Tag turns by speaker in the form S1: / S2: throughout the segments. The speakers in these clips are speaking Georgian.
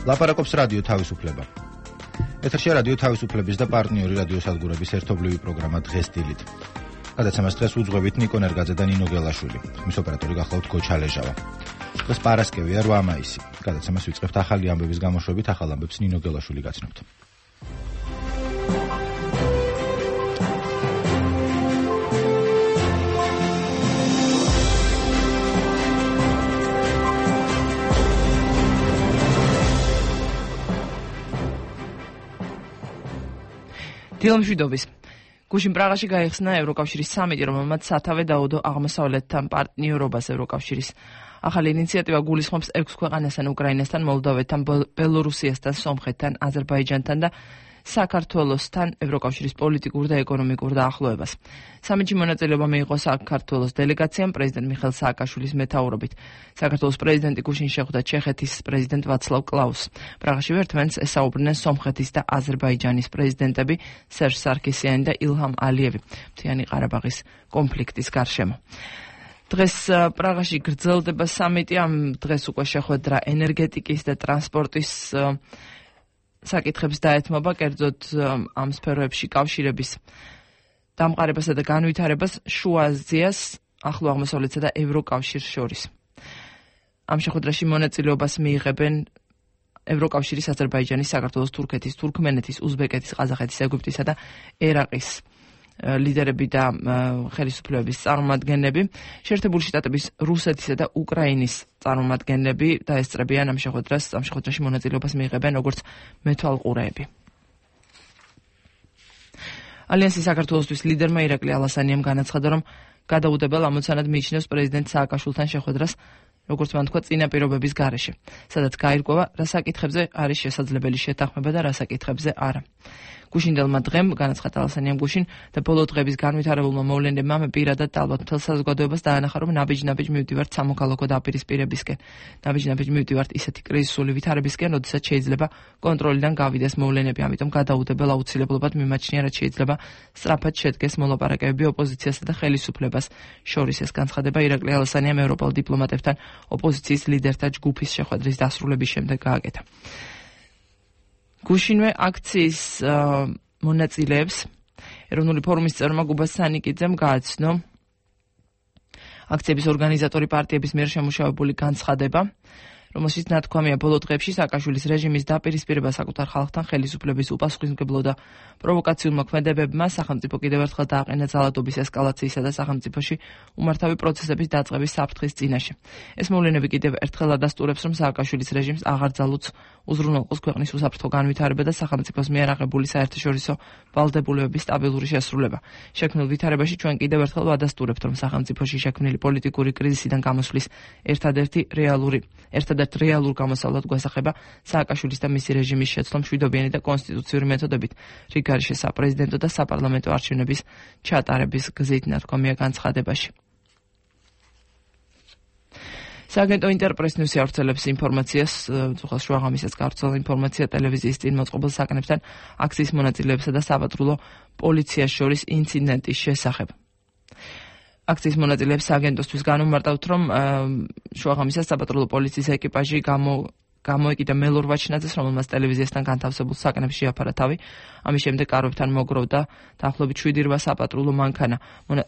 S1: ლაპარაკობს რადიო თავისუფლება. ეთერშია რადიო თავისუფლების და პარტნიორი რადიოსადგურების ერთობლივი პროგრამა დღეს დილით. გადაცემას დღეს უძღვებით ნიკო ნერგაძე და ნინო გელაშვილი. მის ოპერატორი გახლავთ გოჩა ლეჟავა. დღეს პარასკევია 8 მაისი. გადაცემას ვიწყებთ ახალი ამბების გამოშვებით, ახალ ამბებს ნინო გელაშვილი გაცნობთ.
S2: დილამშვიდობის. გუშინ პრაღაში გაიხსნა ევროკავშირის სამიტი, რომელმაც სათავე დაუდო აღმოსავლეთთან პარტნიორობას ევროკავშირის. ახალი ინიციატივა გულისხმობს 6 ქვეყანასთან, უკრაინასთან, მოლდოვეთთან, ბელორუსიასთან, სომხეთთან, აზერბაიჯანთან და საქართველოსთან ევროკავშირის პოლიტიკურ და ეკონომიკურ დაახლოებას. სამიტში მონაწილეობა მიიღო საქართველოს დელეგაციამ პრეზიდენტ მიხეილ სააკაშვილის მეთაურობით. საქართველოს პრეზიდენტი გუშინ შეხვდა ჩეხეთის პრეზიდენტ ვაცლავ კლაუსს. პრაღაში ერთმანეთს ესაუბრნენ სომხეთის და აზერბაიჯანის პრეზიდენტები სერჟ სარქისიანი და ილჰამ ალიევი მთიანი ყარაბაღის კონფლიქტის გარშემო. დღეს პრაღაში გრძელდება სამიტი, ამ დღეს უკვე შეხვედრა ენერგეტიკის და ტრანსპორტის საკითხებს დაეთმობა, კერძოდ ამ სფეროებში კავშირების დამყარებასა და განვითარებას შუა აზიას, ახლო აღმოსავლეთსა და ევროკავშირს შორის. ამ შეხვედრაში მონაწილეობას მიიღებენ ევროკავშირის, აზერბაიჯანის, საქართველოს, თურქეთის, თურქმენეთის, უზბეკეთის, ყაზახეთის, ეგვიპტისა და ერაყის ლიდერები და ხელისუფლებების წარმომადგენლები. შეერთებული შტატების, რუსეთისა და უკრაინის წარმომადგენლები დაესწრებიან ამ შეხვედრაში მონაწილეობას მიიღებენ როგორც მეთვალყურეები. ალიანსის საქართველოსთვის ლიდერმა ირაკლი ალასანიამ განაცხადა, რომ გადაუდებელ ამოცანად მიიჩნევს პრეზიდენტ სააკაშვილთან შეხვედრას, როგორც მან თქვა, წინა პირობების გარეშე, სადაც გაირკვევა, რა საკითხებზე არის შესაძლებელი შეთანხმება და რა საკითხებზე არა. გუშინდელმა დღემ განაცხადა ალასანიამ გუშინ და ბოლო დღების განვითარებულმა მოვლენებმა მე პირადად და ალბათ მთელ საზოგადოებას დაანახა, რომ ნაბიჯ-ნაბიჯ მივდივართ სამოქალაქო დაპირისპირებისკენ. ნაბიჯ-ნაბიჯ მივდივართ ისეთი კრიზისული ვითარებისკენ, როდესაც შეიძლება კონტროლიდან გავიდეს მოვლენები, ამიტომ გადაუდებელ აუცილებლობად მიმაჩნია, რაც შეიძლება სწრაფად შედგეს მოლაპარაკებები ოპოზიციასა და ხელისუფლებას შორის. ეს განცხადება ირაკლი ალასანიამ ევროპელ დიპლომატებთან ოპოზიციის ლიდერთა ჯგუფის შეხვედრის დასრულების შემდეგ გააკეთა. გუშინვე აქციის მონაწილეებს ეროვნული ფორუმის წევრმა გუბას სანიკიძემ გააცნო აქციების ორგანიზატორი პარტიების მიერ შემუშავებული განცხადება, რომელშიც ნათქვამია ბოლო დღეებში სააკაშვილის რეჟიმის დაპირისპირება საკუთარ ხალხთან ხელისუფლების უპასუხისმგებლო და პროვოკაციულმა ქმედებებმა სახელმწიფო კიდევ ერთხელ დააყენა ძალადობის ესკალაციისა და სახელმწიფოში უმართავი პროცესების დაწყების საფრთხის წინაშე. ეს მოვლენები კიდევ ერთხელ ადასტურებს, რომ სააკაშვილის რეჟიმს აღარ ძალუძს უზრუნველყოს ქვეყნის უსაფრთხო განვითარება და სახელმწიფოს მიერ აღებული საერთაშორისო ვალდებულებების სტაბილური შესრულება. შექმნილ ვითარებაში ჩვენ კიდევ ერთხელ ვადასტურებთ, რომ სახელმწიფოში შექმნილი პოლიტიკური კრიზისიდან გამოსვლის ერთადერთ რეალურ გამოსავლად გვასახება სააკაშვილის და მისი რეჟიმის შეცდომ მშვიდობიანი და კონსტიტუციური მეთოდებით რიგარიშე საპრეზიდენტო და საპარლამენტო არჩევნების ჩატარების გზით, ნათქვამია განცხადებაში. სააგენტო ინტერპრეს ნიუსი ავრცელებს ინფორმაციას, ძუხას შუაღამისას გავრცელა ინფორმაცია ტელევიზიის წინ მოწყობილ საკანებთან აქციის მონაწილეებსა და საპატრულო პოლიციას შორის ინციდენტის შესახებ. აქციის მონაწილეებს სააგენტოსთვის განუმარტავთ, რომ შუაღამისას საპატრულო პოლიციის ეკიპაჟი გამოეკიდა მელორ ვაჩნაძეს, რომელმაც ტელევიზიასთან განთავსებულ საკანებს შეაფარა თავი. ამის შემდეგ კარვებთან მოგროვდა დაახლოებით 7-8 საპატრულო მანქანა.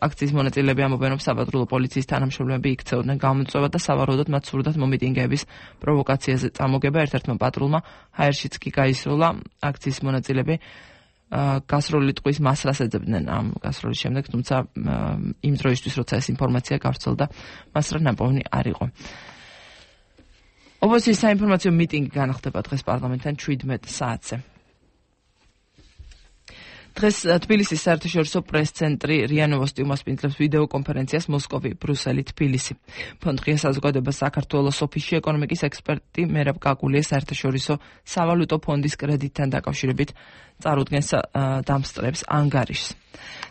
S2: აქციის მონაწილეები ამბობენ, რომ საპატრულო პოლიციის თანამშრომლები იქცეოდნენ გამოწვევა და სავარაუდოდ მათ სურდათ მომიტინგეების პროვოკაციაზე წამოგება. ერთ-ერთმა პატრულმა ჰაერშიც კი გაისროლა. აქციის მონაწილეები გასროლი ტყვის მასრას ეძებდნენ ამ გასროლის შემდეგ, თუმცა იმ დროისთვის, როცა ეს ინფორმაცია გავრცელდა, მასრა ნაპოვნი არ იყო. ოპოზიციის საინფორმაციო მიტინგი განხდება დღეს პარლამენტთან 17 საათზე. დღეს თბილისის საერთაშორისო პრეს-ცენტრი რია ნოვოსტი უმასპინძლებს ვიდეო კონფერენციას მოსკოვი, ბრუსელი, თბილისი. ფონდ-ღია საზოგადოება საქართველოს ოფისში ეკონომიკის ექსპერტი მერაბ კაკულია საერთაშორისო სავალუტო ფონდის კრედიტთან დაკავშირებით წარუდგენს დამსწრებს ანგარიშს.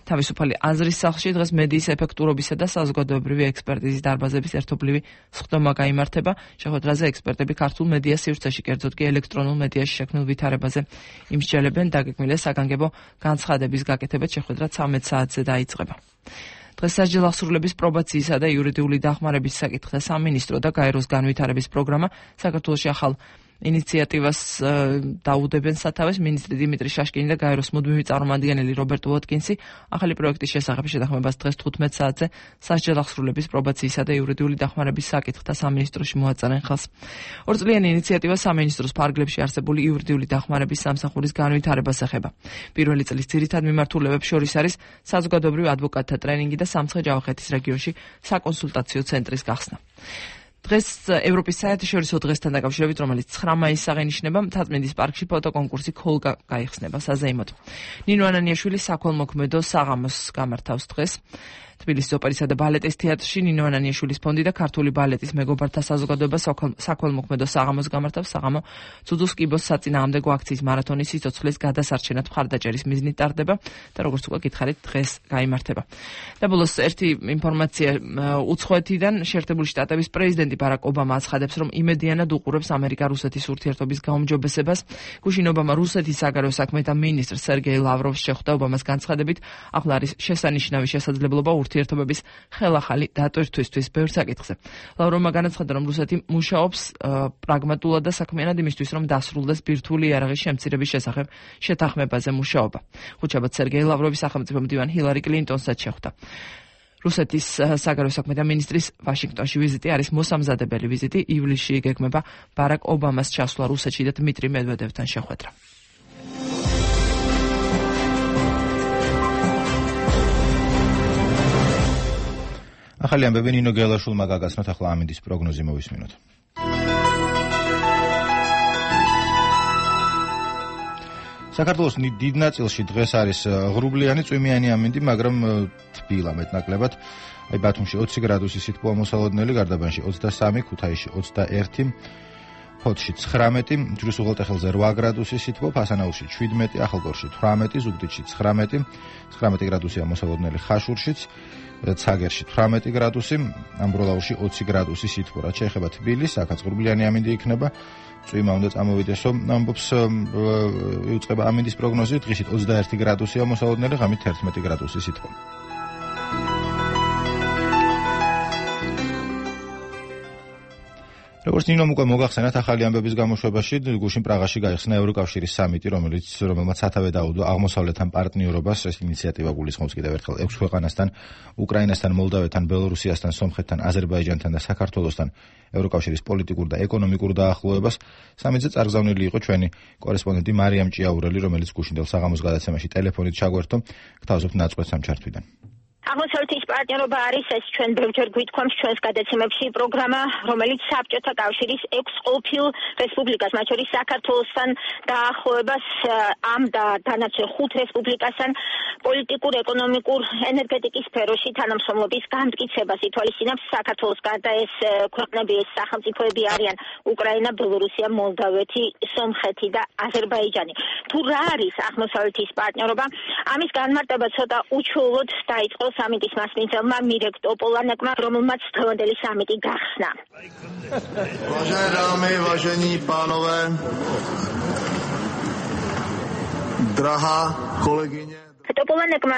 S2: თავისუფალი აზრის სახლში დღეს მედიის ეფექტურობისა და საზოგადოებრივი ექსპერტიზის დარბაზების ერთობლივი სხდომა გაიმართება. შეხვედრაზე ექსპერტები ქართულ მედია სივრცეში, კერძოდ კი ელექტრონულ მედიაში შექმნილ ვითარებაზე იმსჯელებენ. დაგეგმილია საგანგებო განცხადების გაკეთება. შეხვედრა 13 საათზე დაიწყება. დღეს სასჯელ აღსრულების პრობაციისა და იურიდიული დახმარების საკითხთა სამინისტრო და გაეროს განვითარების პროგრამა საქართველოში ახალ ინიციატივას დაუდებენ სათავეს მინისტრი დიმიტრი შაშკინი და გაეროს მუდმივი წარმომადგენელი რობერტ ვოტკინსი ახალი პროექტის შესახებ შეთანხმებას დღეს 15 საათზე სასჯელ აღსრულების პრობაციისა და იურიდიული დახმარების საკითხთა სამინისტროში მოაწერენ ხელს. ორწლიანი ინიციატივა სამინისტროს ფარგლებში არსებული იურიდიული დახმარების სამსახურის განვითარებას ეხება. პირველი წლის ძირითად მიმართულებებს შორის არის საზოგადოებრივ ადვოკატთა ტრენინგი და სამცხე-ჯავახეთის რეგიონში საკონსულტაციო ცენტრის გახსნა. დღეს ევროპის საერთაშორისო დღესთან დაკავშირებით, რომელიც 9 მაისს აღინიშნება, მთაწმინდის პარკში ფოტოკონკურსი ქოლგა გაიხსნება საზეიმოდ. ნინო ანანიაშვილი საქველმოქმედო საღამოს გამართავს დღეს. თბილისის ოპერისა და ბალეტის თეატრში ნინო ანანიაშვილის ფონდი და ქართული ბალეტის მეგობართა საზოგადოება საქველმოქმედო საღამოს გამართავს. საღამო ცუდუს კიბოს საწინააღმდეგო აქციის მარათონის სიცოცხლის გადასარჩენად მხარდაჭერის მიზნით ტარდება და როგორც უკვე გითხარით, დღეს გაიმართება. და ბოლოს ერთი ინფორმაცია უცხოეთიდან. შეერთებული შტატების პრეზიდენტი ბარაკ ობამა აცხადებს, რომ იმედიანად უყურებს ამერიკა-რუსეთის ურთიერთობის გაუმჯობესებას. გუშინ ობამა რუსეთის საგარეო საქმეთა მინისტრ სერგეი ლავროვს შეხვდა. ობამას განცხადებით, ახლა არის შესანიშნავი შესაძლებლობა ურთიერთობების ხელახალი დატვირთვისთვის ბევრ საკითხზე. ლავროვმა განაცხადა, რომ რუსეთი მუშაობს პრაგმატულად და საქმიანად იმისთვის, რომ დასრულდეს ბირთვული იარაღის შემცირების შესახებ შეთანხმებაზე მუშაობა. ხუთშაბათ სერგეი ლავროვის სახელმწიფო მდივანი ჰილარი კლინტონსაც შეხვდა. რუსეთის საგარეო საქმეთა მინისტრის ვაშინგტონში ვიზიტი არის მოსამზადებელი ვიზიტი. ივლისში იგეგმება ბარაკ ობამას ჩასვლა რუსეთში და დმიტრი მედვედევთან შეხვედრა.
S1: ახალი ამბები ნინო გელაშვილმა გაგაცნოთ, ახლა ამინდის პროგნოზი მოვისმინოთ. საქართველოს დიდ ნაწილში დღეს არის ღრუბლიანი წვიმიანი ამინდი, მაგრამ თბილა მეტნაკლებად. ბათუმში 20 გრადუსი სითბოა მოსალოდნელი, გარდაბანში 23, ქუთაისში 21, ფოთში 19, ჯვრის უღელტეხილზე 8 გრადუსი სითბო, ფასანაურში 17, ახალგორში 18, ზუგდიდში 19 გრადუსია მოსალოდნელი ხაშურშიც, ცაგერში 18 გრადუსი, ამბროლაურში 20 გრადუსი სითბო. რაც შეეხება თბილისს, აქაც ღრუბლიანი ამინდი იქნება. წვიმა უნდა წამოვიდესო, ამბობს იუწყება ამინდის პროგნოზი, დღისით 21 გრადუსია მოსალოდნელი, ღამით 11 გრადუსი სითბო. როგორც ნინომ უკვე მოგახსენათ, ახალი ამბების გამოშვებაში გუშინ პრაღაში გაიხსნა ევროკავშირის სამიტი, რომელმაც სათავე დაუდო აღმოსავლეთთან პარტნიორობას. ეს ინიციატივა გულისხმობს კიდევ ერთხელ 6 ქვეყანასთან, უკრაინასთან, მოლდავეთთან, ბელორუსიასთან, სომხეთთან, აზერბაიჯანთან და საქართველოსთან ევროკავშირის პოლიტიკურ და ეკონომიკურ დაახლოებას. სამიტზე წარგზავნილი იყო ჩვენი კორესპონდენტი მარიამ ჭიაურელი, რომელიც გუშინდელ საღამოს გადაცემაში ტელეფონით ჩაგვერთო. გთავაზობთ ნაწყვეტს ამ ჩართვიდან.
S3: აღმოსავლეთის პარტნიორობა არის ეს ჩვენ ბევრჯერ გვითქვამს ჩვენს გადაცემებში პროგრამა, რომელიც საბჭოთა კავშირის 6 ყოფილ რესპუბლიკას, მათ შორის საქართველოსთან დაახლოებას ამ და დანარჩენ 5 რესპუბლიკასთან პოლიტიკურ, ეკონომიკურ, ენერგეტიკის სფეროში თანამშრომლობის განმტკიცებას ითვალისწინებს. საქართველოს გარდა ეს ქვეყნები, ეს სახელმწიფოები არიან უკრაინა, ბელორუსია, მოლდავეთი, სომხეთი და აზერბაიჯანი. თუ რა არის აღმოსავლეთის პარტნიორობა, ამის განმარტება ცოტა უჩვეულოდ დაიწყო სამიტის მასპინძელმა მირეკ ტოპოლანეკმა, რომელმაც დღევანდელი სამიტი გახსნა.
S4: Vážené dámy, vážení pánové, drahá kolegyně.
S3: ტოპოლანეკმა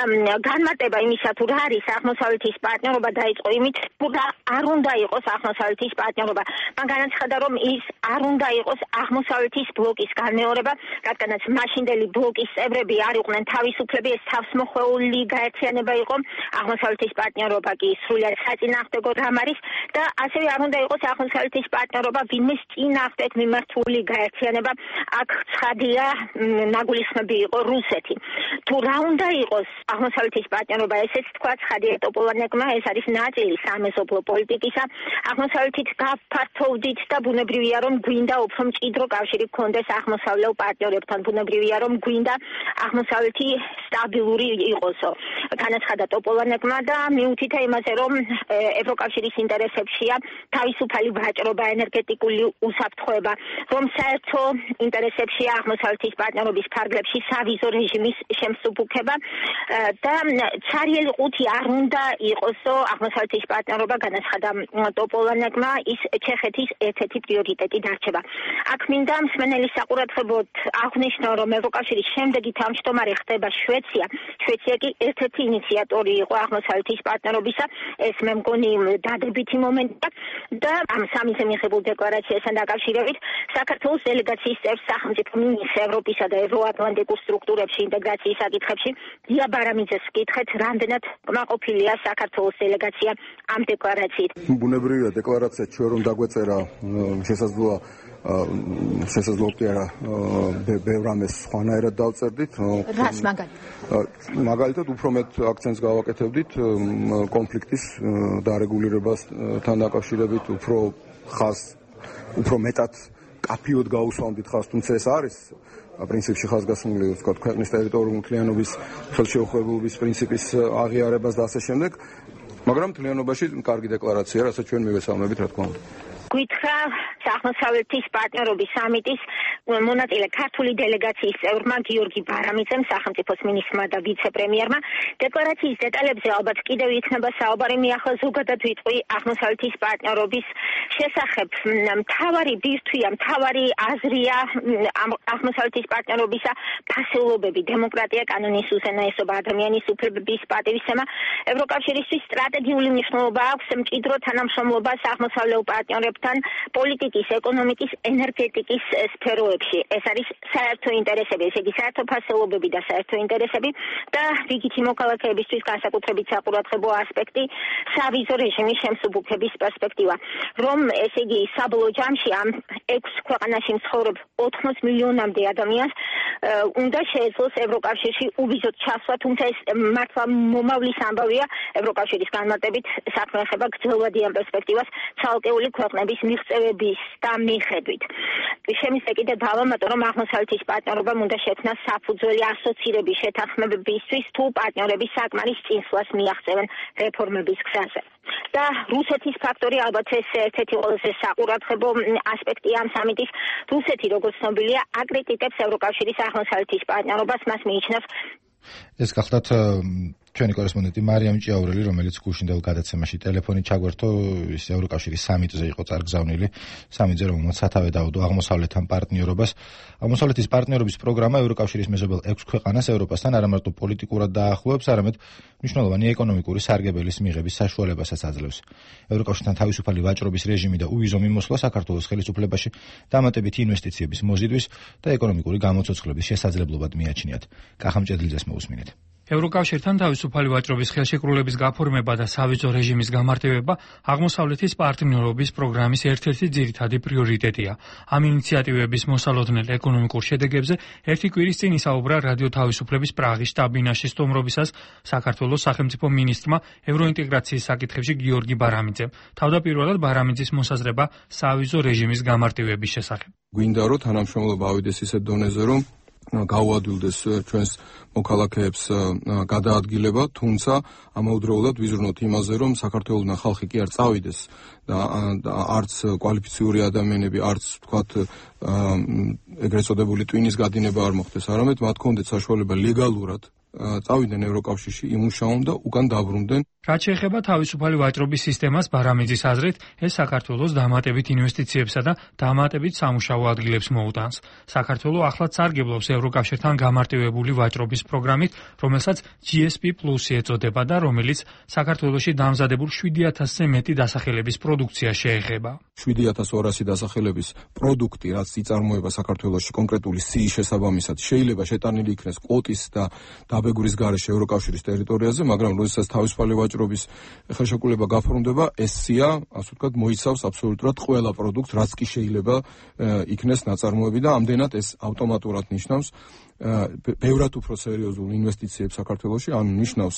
S3: განმარტება იმისა, თუ რა არის აღმოსავლეთის პარტნიორობა, დაიწყო იმით, თუ რა არ უნდა იყოს აღმოსავლეთის პარტნიორობა. მან განაცხადა, რომ ის არ უნდა იყოს აღმოსავლეთის ბლოკის განმეორება, რადგანაც მაშინდელი ბლოკის წევრები არ იყვნენ თავისუფლები, ეს თავსმოხვეული გაერთიანება იყო. აღმოსავლეთის პარტნიორობა კი სრულად საწინააღმდეგო რამ არის და ასევე არ უნდა იყოს აღმოსავლეთის პარტნიორობა ვინმეს წინააღმდეგ მიმართული გაერთიანება. აქ ცხადია, ნაგულისხმები იყო რუსეთი. თუ რა უნდა იყოს აღმოსავლეთის პარტნიორობა, ესეც თქვა ცხადია ტოპოლანეკმა, ეს არის ნაწილი სამეზობლო პოლიტიკისა. აღმოსავლეთით გაფართოვდით და ბუნებრივია, რომ გვინდა უფრო მჭიდრო კავშირი გქონდეს აღმოსავლელ პარტნიორებთან. ბუნებრივია, რომ გვინდა აღმოსავლეთი სტაბილური იყოსო. განაცხადა ტოპოლანეკმა და მიუთითა იმაზე, რომ ევროკავშირის ინტერესებშია თავისუფალი ვაჭრობა, ენერგეტიკული უსაფრთხოება, რომ საერთო ინტერესებშია აღმოსავლეთის პარტნიორობის ფარგლებში სავიზო რეჟიმის შემსუბუქება ეხება და ცარიელი ყუთი არ უნდა იყოსო აღმოსავლეთის პარტნიორობა განაცხადა ტოპოლანეკმა ის ჩეხეთის ერთ-ერთი პრიორიტეტი დარჩება. აქ მინდა მსმენელის საყურადღებოდ აღვნიშნო, რომ ევროკავშირის შემდეგი თავმჯდომარე ხდება შვეცია. შვეცია კი ერთ-ერთი ინიციატორი იყო აღმოსავლეთის პარტნიორობისა. ეს მე მგონი დადებითი მომენტია და ამ სამიზე მიღებულ დეკლარაციასთან დაკავშირებით საქართველოს დელეგაციის წევრ სახელმწიფო მინისტრ ევროპისა და ევროატლანტიკურ სტრუქტურებში ინტეგრაციის საკითხებში დია ბარამიძეს ვკითხეთ, რამდენად კმაყოფილია საქართველოს დელეგაცია ამ დეკლარაციით.
S5: ბუნებრივია დეკლარაცია ჩვენ რომ დაგვეწერა შესაძლოა კი არა ბევრ რამეს სხვანაირად დავწერდით.
S6: რას
S5: მაგალითად უფრო მეტ აქცენტს გავაკეთებდით კონფლიქტის დარეგულირებასთან დაკავშირებით, უფრო მეტად კაფიოდ გაუსვამდით ხაზს, თუმცა ეს არის პრინციპში ხაზგასმული, ვთქვათ, ქვეყნის ტერიტორიული მთლიანობის ხელშეუხლებლობის პრინციპის აღიარებას და ასე შემდეგ, მაგრამ მთლიანობაში კარგი დეკლარაცია, რასაც ჩვენ მივესალმებით, რა თქმა უნდა.
S3: გითხრა აღმოსავლეთის პარტნიორობის სამიტის მონაწილე ქართული დელეგაციის წევრმა გიორგი ბარამიძემ, სახელმწიფოს მინისტრმა და ვიცე-პრემიერმა. დეკლარაციის დეტალებზე ალბათ კიდევ იქნება საუბარი, მე ახლა ზოგადად ვიტყვი აღმოსავლეთის პარტნიორობის შესახებ. მთავარი ბირთვია, მთავარი აზრია აღმოსავლეთის პარტნიორობისა ფასეულობები, დემოკრატია, კანონის უზენაესობა, ადამიანის უფლებების პატივისცემა. ევროკავშირისთვის სტრატეგიული მნიშვნელობა აქვს მჭიდრო თანამშრომლობას აღმოსავლელ პარტნიორებთან პოლიტიკის, ეკონომიკის, ენერგეტიკის სფეროებში. ეს არის საერთო ინტერესები, ესე იგი საერთო ფასეულობები და საერთო ინტერესები და რიგითი მოქალაქეებისთვის განსაკუთრებით საყურადღებო ასპექტი სავიზო რეჟიმის შემსუბუქების პერსპექტივა. რომ ესე იგი საბოლოო ჯამში ამ 6 ქვეყანაში მცხოვრებ 80 მილიონამდე ადამიანს უნდა შეეძლოს ევროკავშირში უბიზოდ ჩასვლა, თუმცა ეს მართლა მომავლის ამბავია. ევროკავშირის განმარტებით საქმე ეხება გრძელვადიან პერსპექტივას ცალკეული ქვეყნების მიღწევების და მიხედვით. შემიძლია კიდევ დავამატო, რომ აღმოსავლეთის პარტნიორობამ უნდა შექმნას საფუძველი ასოცირების შეთანხმებებისთვის, თუ პარტნიორები საკმარის წინსვლას მიაღწევენ რეფორმების გზაზე. და რუსეთის ფაქტორი ალბათ ეს ერთ-ერთი ყველაზე საყურადღებო ასპექტია ამ სამიტის. რუსეთი, როგორც ცნობილია, აკრიტიკებს ევროკავშირის აღმოსავლეთის პარტნიორობას, მას მიიჩნევს.
S1: ეს გახლავთ ჩვენი კორესპონდენტი მარიამ ჭიაურელი, რომელიც გუშინდელ გადაცემაში ტელეფონით ჩაგვერთო, ის ევროკავშირის სამიტზე იყო წარგზავნილი, სამიტზე რომელმაც სათავე დაუდო აღმოსავლეთთან პარტნიორობას. აღმოსავლეთის პარტნიორობის პროგრამა ევროკავშირის მეზობელ 6 ქვეყანას ევროპასთან არა მარტო პოლიტიკურად დაახლოებს, არამედ მნიშვნელოვანი ეკონომიკური სარგებელის მიღების საშუალებასაც აძლევს. ევროკავშირთან თავისუფალი ვაჭრობის რეჟიმი და უვიზო მიმოსვლა საქართველოს ხელისუფლებაში დამატებითი ინვესტიციების მოზიდვის და ეკონომიკური გამოცოცხლების შესაძლებლობად მიაჩნიათ. კახამჭედლიძეს მოусმინეთ.
S7: ევროკავშირთან თავისუფალი ვაჭრობის ხელშეკრულების გაფორმება და სავიზო რეჟიმის გამარტივება აღმოსავლეთის პარტნიორობის პროგრამის ერთ-ერთი ძირითადი პრიორიტეტია. ამ ინიციატივების მოსალოდნელ ეკონომიკურ შედეგებზე ერთი კვირის წინ ისაუბრა რადიო თავისუფლების პრაღის შტაბ-ბინაში სტუმრობისას საქართველოს სახელმწიფო მინისტრმა ევროინტეგრაციის საკითხებში გიორგი ბარამიძემ. თავდაპირველად ბარამიძის მოსაზრება სავიზო რეჟიმის გამარტივების შესახებ.
S5: გვინდა რომ თანამშრომლობა ავიდეს ისეთ დონეზე, რომ გაუადვილდეს ჩვენს მოქალაქეებს გადაადგილება, თუმცა ამავდროულად ვიზრუნოთ იმაზე, რომ საქართველოსთან ხალხი კი არ წავიდეს და არც კვალიფიციური ადამიანები, არც თქვათ ეგრეთ წოდებული ტვინის გადინება არ მოხდეს, არამედ მათ ჰქონდეთ საშუალება ლეგალურად წავიდნენ ევროკავშირში, იმუშაონ და უკან დაბრუნდნენ.
S7: რაც შეეხება თავისუფალი ვაჭრობის სისტემას, ბარამიძის აზრით, ეს საქართველოს დამატებით ინვესტიციებსა და დამატებით სამუშაო ადგილებს მოუტანს. საქართველო ახლაც სარგებლობს ევროკავშირთან გამარტივებული ვაჭრობის პროგრამით, რომელსაც GSP+ ეწოდება და რომელიც საქართველოში დამზადებულ 7000-ზე მეტი დასახელების პროდუქცია შეეხება.
S5: 7200 დასახელების პროდუქტი, რაც იწარმოება საქართველოში კონკრეტული სიის შესაბამისად, შეიძლება შეტანილი იქნეს კვოტის და დაბეგვრის გარეშე ევროკავშირის ტერიტორიაზე, მაგრამ როდესაც თავისუფალი ვაჭრობის ხელშეკრულება გაფორმდება, ეს სია, ასე ვთქვათ, მოიცავს აბსოლუტურად ყველა პროდუქტს, რაც კი შეიძლება იქნეს ნაწარმოები და ამდენად ეს ავტომატურად ნიშნავს ბევრად უფრო სერიოზულ ინვესტიციებს საქართველოში, ანუ ნიშნავს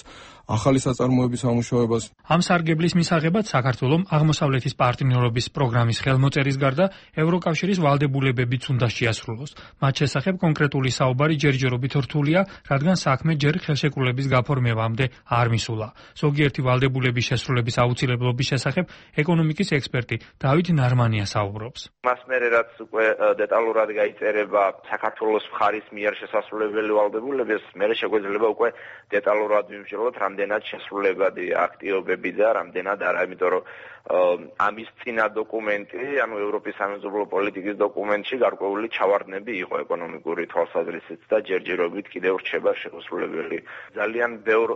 S5: ახალი საწარმოების ამუშავებას.
S7: ამ სარგებლის მისაღებად საქართველომ აღმოსავლეთის პარტნიორობის პროგრამის ხელმოწერის გარდა ევროკავშირის ვალდებულებებიც უნდა შეასრულოს. მათ შესახებ კონკრეტული საუბარი ჯერჯერობით რთულია, რადგან საქმე ჯერ ხელშეკრულების გაფორმებამდე არ მისულა. ზოგიერთი ვალდებულების შესრულების აუცილებლობის შესახებ ეკონომიკის ექსპერტი დავით ნარმანია საუბრობს.
S8: მას მერე რაც უკვე დეტალურად გაიწერება საქართველოს მხარის მიერ
S6: შესასრულებელი ვალდებულების, მე შეგვეძლება უკვე დეტალურად ვიმსჯელოთ, რამდენად შესრულებადი აქტივობები და რამდენად არა, იმიტომ რომ ამის წინა დოკუმენტი, ანუ ევროპის სამეზობლო პოლიტიკის დოკუმენტში გარკვეული ჩავარდნები იყო ეკონომიკური თვალსაზრისით და ჯერჯერობით კიდევ რჩება შესრულებელი. ძალიან ბევრ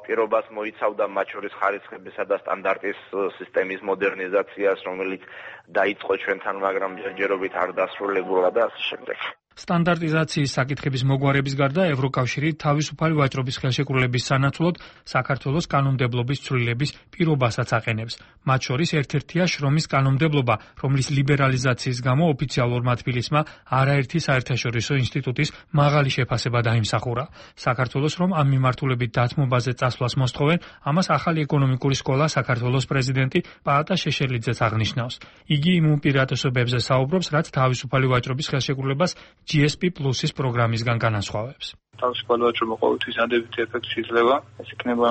S6: პირობას მოიცავდა მათ შორის ხარისხებისა და სტანდარტის სისტემის მოდერნიზაციას, რომელიც დაიწყო ჩვენთან, მაგრამ ჯერჯერობით არ დასრულებულა და ასე შემდეგ.
S7: სტანდარტიზაციის საკითხების მოგვარების გარდა ევროკავშირი თავისუფალი ვაჭრობის ხელშეკრულების სანაცვლოდ საქართველოს კანონმდებლობის ცვლილების პირობასაც აყენებს. მათ შორის ერთ-ერთია შრომის კანონმდებლობა, რომლის ლიბერალიზაციის გამო ოფიციალურმა თბილისმა არაერთი საერთაშორისო ინსტიტუტის მაღალი შეფასება დაიმსახურა. საქართველოს რომ ამ მიმართულებით დათმობაზე წასვლას მოსთხოვენ, ამას ახალი ეკონომიკური სკოლა საქართველოს პრეზიდენტი პაატა შეშელიძეც აღნიშნავს. იგი იმ უპირატესობებზე საუბრობს, რაც თავისუფალი ვაჭრობის ხელშეკრულებას GSP+-ის პროგრამისგან განასხვავებს.
S8: თავისუფალი ვაჭრობა ყოველთვის ადებითი ეფექტი იძლევა. ეს იქნება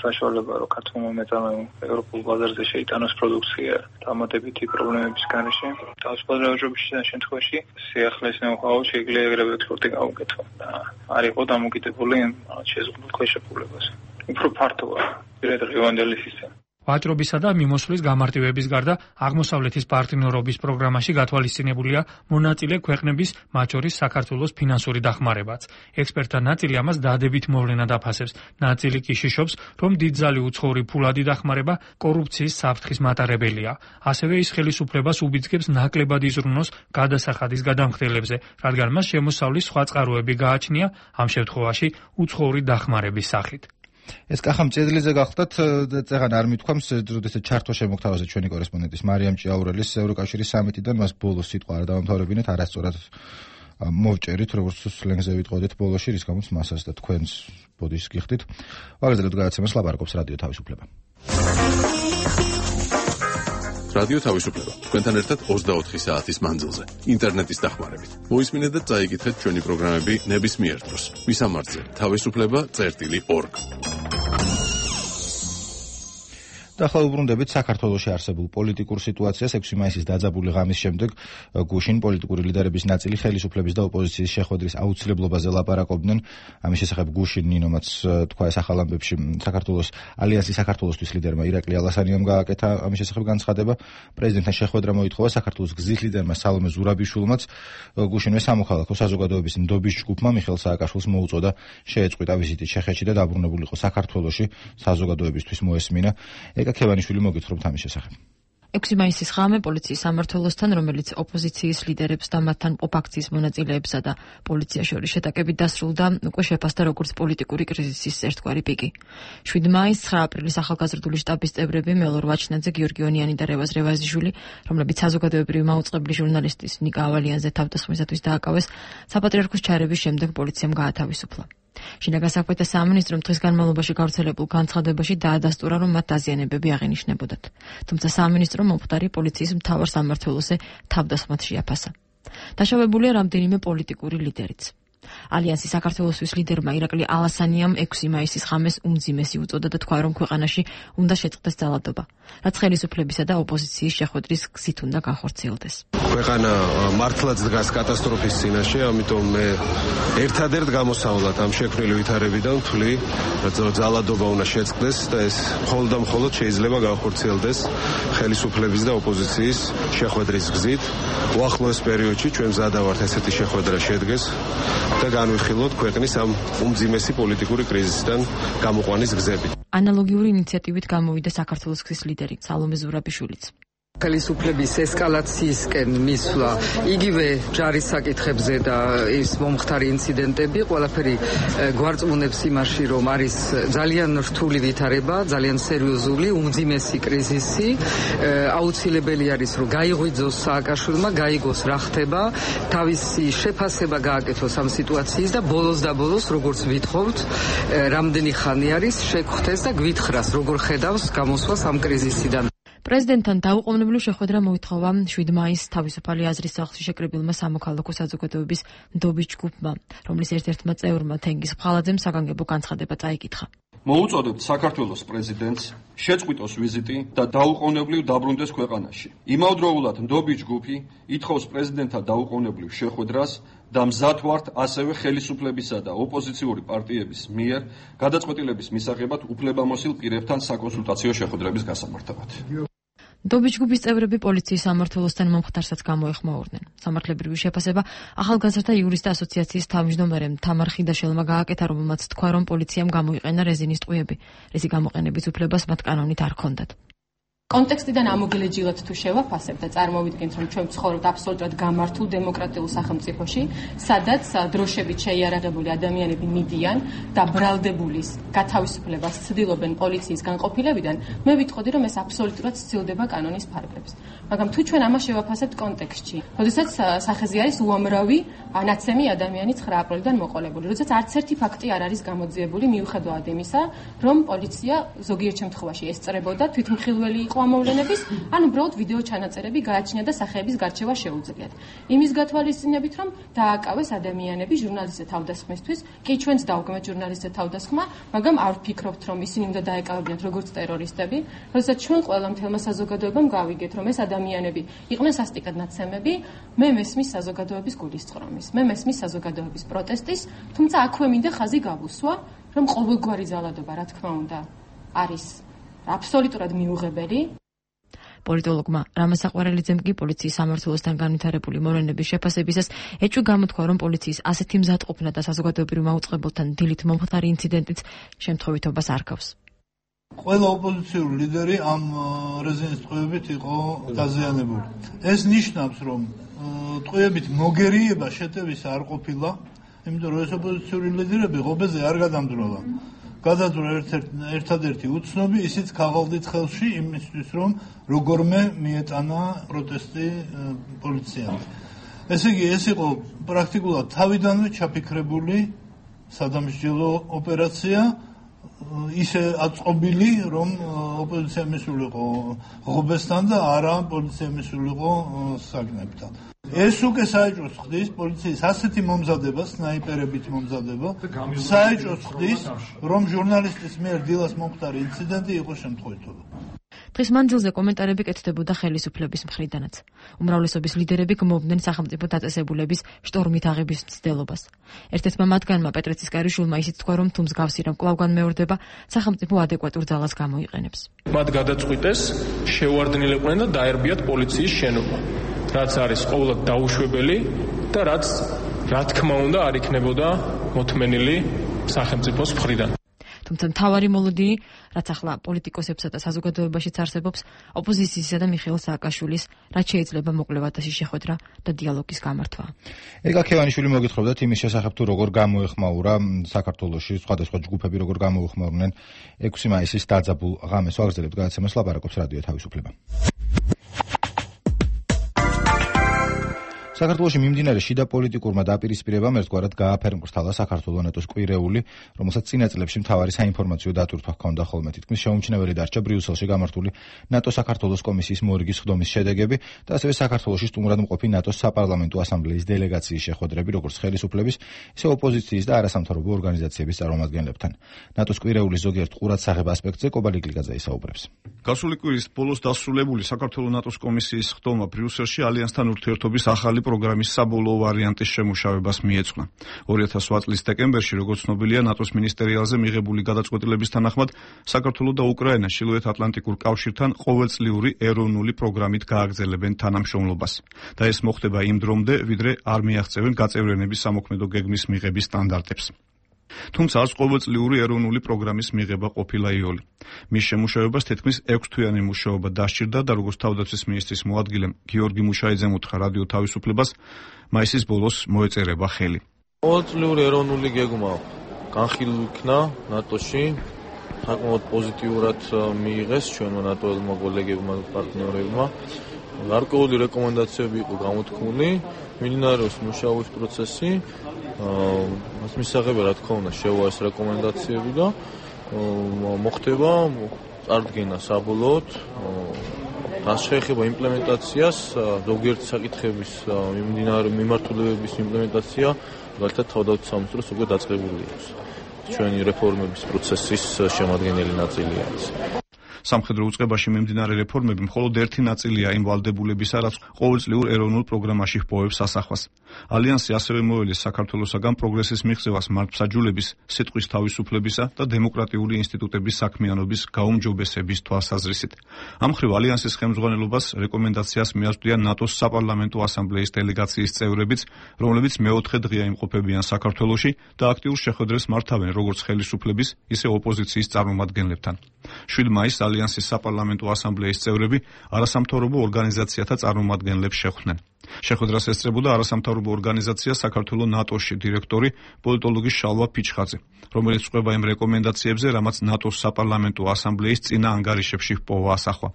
S8: საშუალება, რომ ქართულმა მეწარმეებმა ევროპულ ბაზარზე შეიტანოს პროდუქცია დამატებითი პრობლემების გარეშე. თავისუფალი ვაჭრობის შემთხვევაში სიახლეს ნოუ-ჰაუ შეიძლება ეგრევე ექსპორტი გაუკეთო და არ იყო დამოკიდებული შეზღუდულ ქვეშეფულებაზე. უფრო ფართოა პირადღირევანდელი სისტემა.
S7: ვაჭრობისა და მიმოსვლის გამარტივების გარდა აღმოსავლეთის პარტნიორობის პროგრამაში გათვალისწინებულია მონაწილე ქვეყნების, მათ შორის საქართველოს ფინანსური დახმარებაც. ექსპერტთა ნაწილი ამას დადებით მოვლენად აფასებს. ნაწილი კი შიშობს, რომ დიდძალი უცხოური ფულადი დახმარება კორუფციის საფრთხის მატარებელია. ასევე ის ხელისუფლებას უბიძგებს ნაკლებად იზრუნოს გადასახადის გადამხდელებზე, რადგან მას შემოსავლის სხვა წყაროები გააჩნია, ამ შემთხვევაში უცხოური დახმარების სახით.
S1: ეს კახა მწედლიზე გახდათ, წეღან არ მithქვამს, როდესაც ჩართვა შემოგთავაზეთ ჩვენი კორესპონდენტის მარიამ ჭიაურელის ევროკავშირის სამიტიდან, მას ბოლოს სიტყვა არ დავამთავრებინეთ, არასწორად მოვჭერით, როგორც სლენგზე ვიტყოდეთ ბოლოში, რის გამოც მასაც და თქვენს ბოდიშს გიხდით. ვაგრძელებთ გადაცემას, ლაპარაკობს რადიო თავისუფლება.
S9: რადიო თავისუფლება. თქვენთან ერთად 24 საათის მანძილზე, ინტერნეტის დახმარებით. მოისმინეთ და წაიკითხეთ ჩვენი პროგრამები ნებისმიერ დროს. მისამართზე: თავისუფლება.org. და ახლა უბრუნდებით საქართველოში არსებულ პოლიტიკურ სიტუაციას. 6 მაისის დაძაბული ღამის შემდეგ გუშინ პოლიტიკური ლიდერების ნაწილი ხელისუფლების და ოპოზიციის შეხვედრის აუცილებლობაზე ლაპარაკობდნენ. ამის შესახებ გუშინ ნინომაც თქვა ეს ახალ ამბებში საქართველოს ალიანსის საქართველოსთვის ლიდერმა ირაკლი ალასანიამ გააკეთა ამის შესახებ განცხადება. პრეზიდენტთან შეხვედრა მოითხოვა საქართველოს გზის ლიდერმა სალომე ზურაბიშვილმაც. გუშინვე სამოქალაქო საზოგადოების ნდობის ჯგუფმა მიხეილ სააკაშვილს მოუწოდა შეეწყვიტა ვიზიტი ჩეხეთში და დაბრუნებულიყო საქართველოში საზოგადოებისთვის მოესმინა. ეკაკევანიშვილი მოგითხრობთ ამის შესახებ.
S10: 6 მაისის ღამე პოლიციის სამმართველოსთან, რომელიც ოპოზიციის ლიდერებს და მათთან მყოფ აქციის მონაწილეებსა და პოლიციას შორის შეტაკებით დასრულდა, უკვე შეფასდა როგორც პოლიტიკური კრიზისის ერთგვარი პიკი. 7 მაისს 9 აპრილის ახალგაზრდული შტაბის წევრები მელორ ვაჩნაძე, გიორგი ონიანი და რევაზ რევაზიშვილი, რომლებიც საზოგადოებრივი მაუწყებლი ჟურნალისტის ნიკა ავალიანზე თავდასხმისათვის დააკავეს, საპატრიარქოს ჩარევის შემდეგ პოლიციამ გაათავისუფლა. შინაგან საქმეთა სამინისტრომ დღის განმავლობაში გავრცელებულ განცხადებაში დაადასტურა, რომ მათ დაზიანებები აღენიშნებოდათ. თუმცა სამინისტრომ მომხდარი პოლიციის მთავარ სამმართველოზე თავდასხმად შეაფასა. დაშავებულია რამდენიმე პოლიტიკური ლიდერიც. ალიანსის საქართველოსთვის ლიდერმა ირაკლი ალასანიამ 6 მაისის ღამეს უმძიმესი უწოდა და თქვა, რომ ქვეყანაში უნდა შეწყდეს ძალადობა, რაც ხელისუფლებისა და ოპოზიციის შეხვედრის გზით უნდა განხორციელდეს.
S11: ქვეყანა მართლაც დგას კატასტროფის წინაშე, ამიტომ მე ერთადერთ გამოსავლად ამ შექმნილი ვითარებიდან ვთვლი, რომ ძალადობა უნდა შეწყდეს და ეს მხოლოდ და მხოლოდ შეიძლება განხორციელდეს ხელისუფლების და ოპოზიციის შეხვედრის გზით. უახლოეს პერიოდში ჩვენ მზადა ვართ ესეთი შეხვედრა შედგეს და განვიხილოთ ქვეყნის ამ უმძიმესი პოლიტიკური კრიზისიდან გამოყვანის გზები.
S10: ანალოგიური ინიციატივით გამოვიდა საქართველოს გზის ლიდერი სალომე ზურაბიშვილიც.
S12: ხელისუფლების ესკალაციისკენ მისვლა იგივე ჯარის საკითხებზე და ის მომხდარი ინციდენტები ყველაფერი გვარწმუნებს იმაში, რომ არის ძალიან რთული ვითარება, ძალიან სერიოზული, უმძიმესი კრიზისი. აუცილებელი არის, რომ გაიღვიძოს სააკაშვილმა, გაიგოს რა ხდება, თავისი შეფასება გააკეთოს ამ სიტუაციის და ბოლოს და ბოლოს, როგორც ვითხოვთ, რამდენი ხანი არის შეგხვდეს და გვითხრას, როგორ ხედავს გამოსვლას ამ კრიზისიდან.
S10: პრეზიდენტთან დაუყოვნებლივ შეხვედრა მოითხოვა 7 მაისს თავისუფალი აზრის სახლში შეკრებილმა სამოქალაქო საზოგადოების ნდობის ჯგუფმა, რომლის ერთ-ერთმა წევრმა თენგიზ ფხალაძემ საგანგებო განცხადება წაიკითხა.
S5: მოუწოდებთ საქართველოს პრეზიდენტს შეწყვიტოს ვიზიტი და დაუყოვნებლივ დაბრუნდეს ქვეყანაში. იმავდროულად ნდობის ჯგუფი ითხოვს პრეზიდენტთან დაუყოვნებლივ შეხვედრას და მზად ვართ ასევე ხელისუფლებისა და ოპოზიციური პარტიების მიერ გადაწყვეტილების მისაღებად უფლებამოსილ პირებთან საკონსულტაციო შეხვედრების გასამართებად.
S10: ნდობის ჯგუფის წევრები პოლიციის სამმართველოსთან მომხდარსაც გამოეხმაურნენ. სამართლებრივი შეფასება ახალგაზრდა იურისტთა ასოციაციის თავმჯდომარემ თამარ ხიდაშელმა გააკეთა, რომელმაც თქვა, რომ პოლიციამ გამოიყენა რეზინის ტყვიები, რისი გამოყენების უფლებას მათ კანონით არ ჰქონდათ.
S13: კონტექსტიდან ამოგელეჯილად თუ შევაფასებ და წარმოვიდგენთ, რომ ჩვენ ვცხოვრობთ აბსოლუტურად გამართულ დემოკრატიულ სახელმწიფოში, სადაც დროშებით შეიარაღებული ადამიანები მიდიან და ბრალდებულის გათავისუფლებას ცდილობენ პოლიციის განყოფილებიდან, მე ვიტყოდი, რომ ეს აბსოლუტურად სცილდება კანონის ფარგლებს. მაგრამ თუ ჩვენ ამას შევაფასებთ კონტექსტში, როდესაც სახეზე არის უამრავი ნაცემი ადამიანი 9 აპრილიდან მოყოლებული, როდესაც არც ერთი ფაქტი არ არის გამოძიებული მიუხედავად იმისა, რომ პოლიცია ზოგიერთ შემთხვევაში ესწრებოდა თვითმხილველი იყო ამოვლენების, ან უბრალოდ ვიდეო ჩანაწერები გააჩნია და სახეების გარჩევა შეუძლიათ. იმის გათვალისწინებით, რომ დააკავეს ადამიანები ჟურნალისტთა თავდასხმისთვის, კი ჩვენც დავგმეთ ჟურნალისტთა თავდასხმა, მაგრამ არ ვფიქრობთ, რომ ისინი უნდა დაეკავებინათ როგორც ტერორისტები, როდესაც ჩვენ ყველა მთელმა საზოგადოებამ გავიგეთ, რომ ეს ადამიანები იყვნენ სასტიკად ნაცემები, მე მესმის საზოგადოების გულისწყრომის, მე მესმის საზოგადოების პროტესტის, თუმცა აქვე მინდა ხაზი გავუსვა, რომ ყოველგვარი ძალადობა, რა თქმა უნდა, არის აბსოლუტურად მიუღებელი.
S10: პოლიტოლოგმა რამაზ საყვარელიძემ კი პოლიციის სამმართველოსთან განვითარებული მოვლენების შეფასებისას ეჭვი გამოთქვა, რომ პოლიციის ასეთი მზადყოფნა და საზოგადოებრივ მაუწყებელთან დილით მომხდარი ინციდენტიც შემთხვევითობას არქავს.
S14: ყველა ოპოზიციური ლიდერი ამ რეზინის ტყვიებით იყო დაზიანებული. ეს ნიშნავს, რომ ტყვიებით მოგერიება შეტევის არ ყოფილა, იმიტომ რომ ეს ოპოზიციური ლიდერები ღობეზე არ გადამდროლა. გადაძვრა ერთადერთი უცნობი, ისიც ქაღალდით ხელში იმისთვის, რომ როგორმე მიეტანა პროტესტი პოლიციამ. ესე იგი, ეს იყო პრაქტიკულად თავიდანვე ჩაფიქრებული სადამსჯელო ოპერაცია, ისე აწყობილი, რომ ოპოზიცია მისულიყო ღობესთან და არა პოლიცია მისულიყო საგნებთან. ეს უკვე საეჭვოს ხდის პოლიციის ასეთი მომზადება, სნაიპერებით მომზადება, საეჭვოს ხდის, რომ ჟურნალისტის მიერ დილას მომხდარი ინციდენტი იყო შემთხვევითობა.
S10: დღის მანძილზე კომენტარები კეთდებოდა ხელისუფლების მხრიდანაც. უმრავლესობის ლიდერები გმობდნენ სახელმწიფო დაწესებულების შტორმით აღების მცდელობას. ერთ-ერთმა მათგანმა პეტრე ცისკარიშვილმა ისიც თქვა, რომ თუ მსგავსი რამ კვლავ განმეორდება, სახელმწიფო ადეკვატურ ძალას გამოიყენებს.
S15: მათ გადაწყვიტეს შეუარდნილიყვნენ და დაერბიათ პოლიციის შენობა, რაც არის ყოველად დაუშვებელი და რაც რა თქმა უნდა არ იქნებოდა მოთმენილი სახელმწიფოს მხრიდან.
S10: თუმცა მთავარი მოლოდინი, რაც ახლა პოლიტიკოსებსა და საზოგადოებაშიც არსებობს, ოპოზიციისა და მიხეილ სააკაშვილის, რაც შეიძლება მოკვლევადაში შეხვედრა და დიალოგის გამართვა.
S1: ეგა ქევანიშვილი მოგითხრობდათ იმის შესახებ, თუ როგორ გამოეხმაურა საქართველოში სხვადასხვა ჯგუფები, როგორ გამოეხმაურნენ 6 მაისის დაძაბულ ღამეს. ვაგრძელებთ გადაცემას, ლაპარაკობს რადიო თავისუფლება. საქართველოში მიმდინარე შიდა პოლიტიკურმა დაპირისპირებამ ერთგვარად გააფერმკრთალა საქართველოს ნატოს კვირეული, რომელსაც წინა წლებში მთავარი საინფორმაციო დატვირთვა ჰქონდა ხოლმე. თითქმის შეუმჩნეველი დარჩა ბრიუსელში გამართული ნატო-საქართველოს კომისიის მორიგის ხდომის შედეგები და ასევე საქართველოში სტუმრად მყოფი ნატოს საპარლამენტო ასამბლეის დელეგაციის შეხვედრები, როგორც ხელისუფლების, ისე ოპოზიციის და არასამთავრობო ორგანიზაციების წარმომადგენლებთან. ნატოს კვირეულის ზოგიერთ ყურადსაღებ ასპექტზე კობალი გლიგაძე ისაუბრებს.
S16: გასული კვირის ბოლოს დასრულებული საქართველოს ნატოს კომისიის ხდომა ბრიუსელში ალიანსთან ურთიერთობის ახალი პროგრამის საბოლოო ვარიანტის შემუშავებას მიეძღვნა. 2008 წლის დეკემბერში, როგორც ცნობილია, ნატოს მინისტერიალზე მიღებული გადაწყვეტილების თანახმად, საქართველო და უკრაინა ჩრდილოეთ-ატლანტიკურ კავშირთან ყოველწლიური ეროვნული პროგრამით გააგრძელებენ თანამშრომლობას და ეს მოხდება იმ დრომდე, ვიდრე არ მიაღწევენ გაწევრიანების სამოქმედო გეგმის მიღების სტანდარტებს. თუმცა არც ყოველწლიური ეროვნული პროგრამის მიღება ყოფილა იოლი. მის შემუშავებას თითქმის 6 თვიანი მუშაობა დასჭირდა და როგორც თავდაცვის მინისტრის მოადგილემ გიორგი მუშაიძემ უთხრა რადიო თავისუფლებას, მაისის ბოლოს მოეწერება ხელი.
S15: ყოველწლიური ეროვნული გეგმა განხილულ იქნა ნატოში, საკმაოდ პოზიტიურად მიიღეს ჩვენმა ნატოელმა კოლეგებმა და პარტნიორებმა. გარკვეული რეკომენდაციები იყო გამოთქმული, მიმდინარეობს მუშაობის პროცესი. მას მისაღები რა თქმა უნდა შევა ეს რეკომენდაციები და მოხდება წარდგენა საბოლოოდ. რაც შეეხება იმპლემენტაციას, ზოგიერთი საკითხების მიმართულებების იმპლემენტაცია, მაგალითად თავდაცვის სამინისტროს უკვე დაწყებული აქვს.
S17: ჩვენი რეფორმების პროცესის შემადგენელი ნაწილია ეს.
S16: სამხედრო უწყებაში მიმდინარე რეფორმები მხოლოდ ერთი ნაწილია იმ ვალდებულებისა, რაც ყოველწლიურ ეროვნულ პროგრამაში ჰპოვებს სასახვას. ალიანსი ასევე მოელეს საქართველოსაგან პროგრესის მიღწევას მართლმსაჯულების, სიტყვის თავისუფლებისა და დემოკრატიული ინსტიტუტების საქმიანობის გაუმჯობესების თვალსაზრისით. ამ მხრივ ალიანსის ხელმძღვანელობას რეკომენდაციას მიაწვდიან ნატოს საპარლამენტო ასამბლეის დელეგაციის წევრებიც, რომლებიც მეოთხე დღეა იმყოფებიან საქართველოში და აქტიურ შეხვედრებს მართავენ როგორც ხელისუფლების, ისე ოპოზიციის წარმომადგენლებთან. 7 მაისს ალიანსის საპარლამენტო ასამბლეის წევრები არასამთავრობო ორგანიზაციათა წარმომადგენლებს შეხვდნენ. შეხვედრას ესწრებოდა არასამთავრობო ორგანიზაცია საქართველოს ნატოში დირექტორი პოლიტოლოგი შალვა ფიჩხაძე, რომელიც ყვება იმ რეკომენდაციებზე, რამაც ნატოს საპარლამენტო ასამბლეის წინა ანგარიშებში ჰპოვა ასახვა.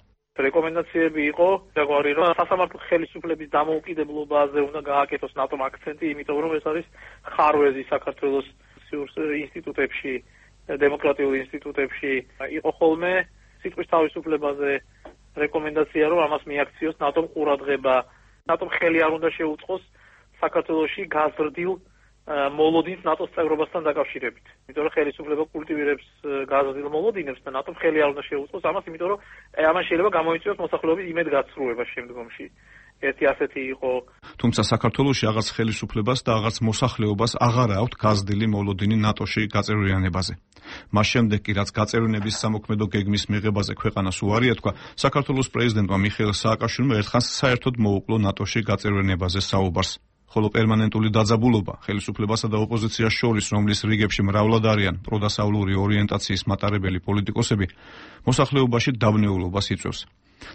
S18: რეკომენდაციები იყო ზოგადად, რომ სასამართლო ხელისუფლების დამოუკიდებლობაზე უნდა გააკეთოს ნატომ აქცენტი, იმიტომ რომ ეს არის ხარვეზი საქართველოს ინსტიტუტებში, დემოკრატიულ ინსტიტუტებში იყო ხოლმე სიტყვის თავისუფლებაზე რეკომენდაცია, რომ ამას მიაქციოს ნატომ ყურადღება. ნატომ ხელი არ უნდა შეუწყოს საქართველოში გაზრდილ მოლოდინს ნატოს წევრობასთან დაკავშირებით. იმიტომ რომ ხელისუფლება კულტივირებს გაზრდილ მოლოდინებს და ნატომ ხელი არ უნდა შეუწყოს ამას, იმიტომ რომ ამან შეიძლება გამოიწვიოს მოსახლეობის იმედგაცრუება შემდგომში. ერთი ასეთი იყო.
S16: თუმცა საქართველოში აღარც ხელისუფლებას და აღარც მოსახლეობას აღარ აქვთ გაზრდილი მოლოდინი ნატოში გაწევრიანებაზე. მას შემდეგ კი რაც გაწევრიანების სამოქმედო გეგმის მიღებაზე ქვეყანას უარი ეთქვა, საქართველოს პრეზიდენტმა მიხეილ სააკაშვილმა ერთხანს საერთოდ მოუკლო ნატოში გაწევრიანებაზე საუბარს. ხოლო პერმანენტული დაძაბულობა ხელისუფლებასა და ოპოზიციას შორის, რომლის რიგებში მრავლად არიან პროდასავლური ორიენტაციის მატარებელი პოლიტიკოსები, მოსახლეობაში დაბნეულობას იწვევს.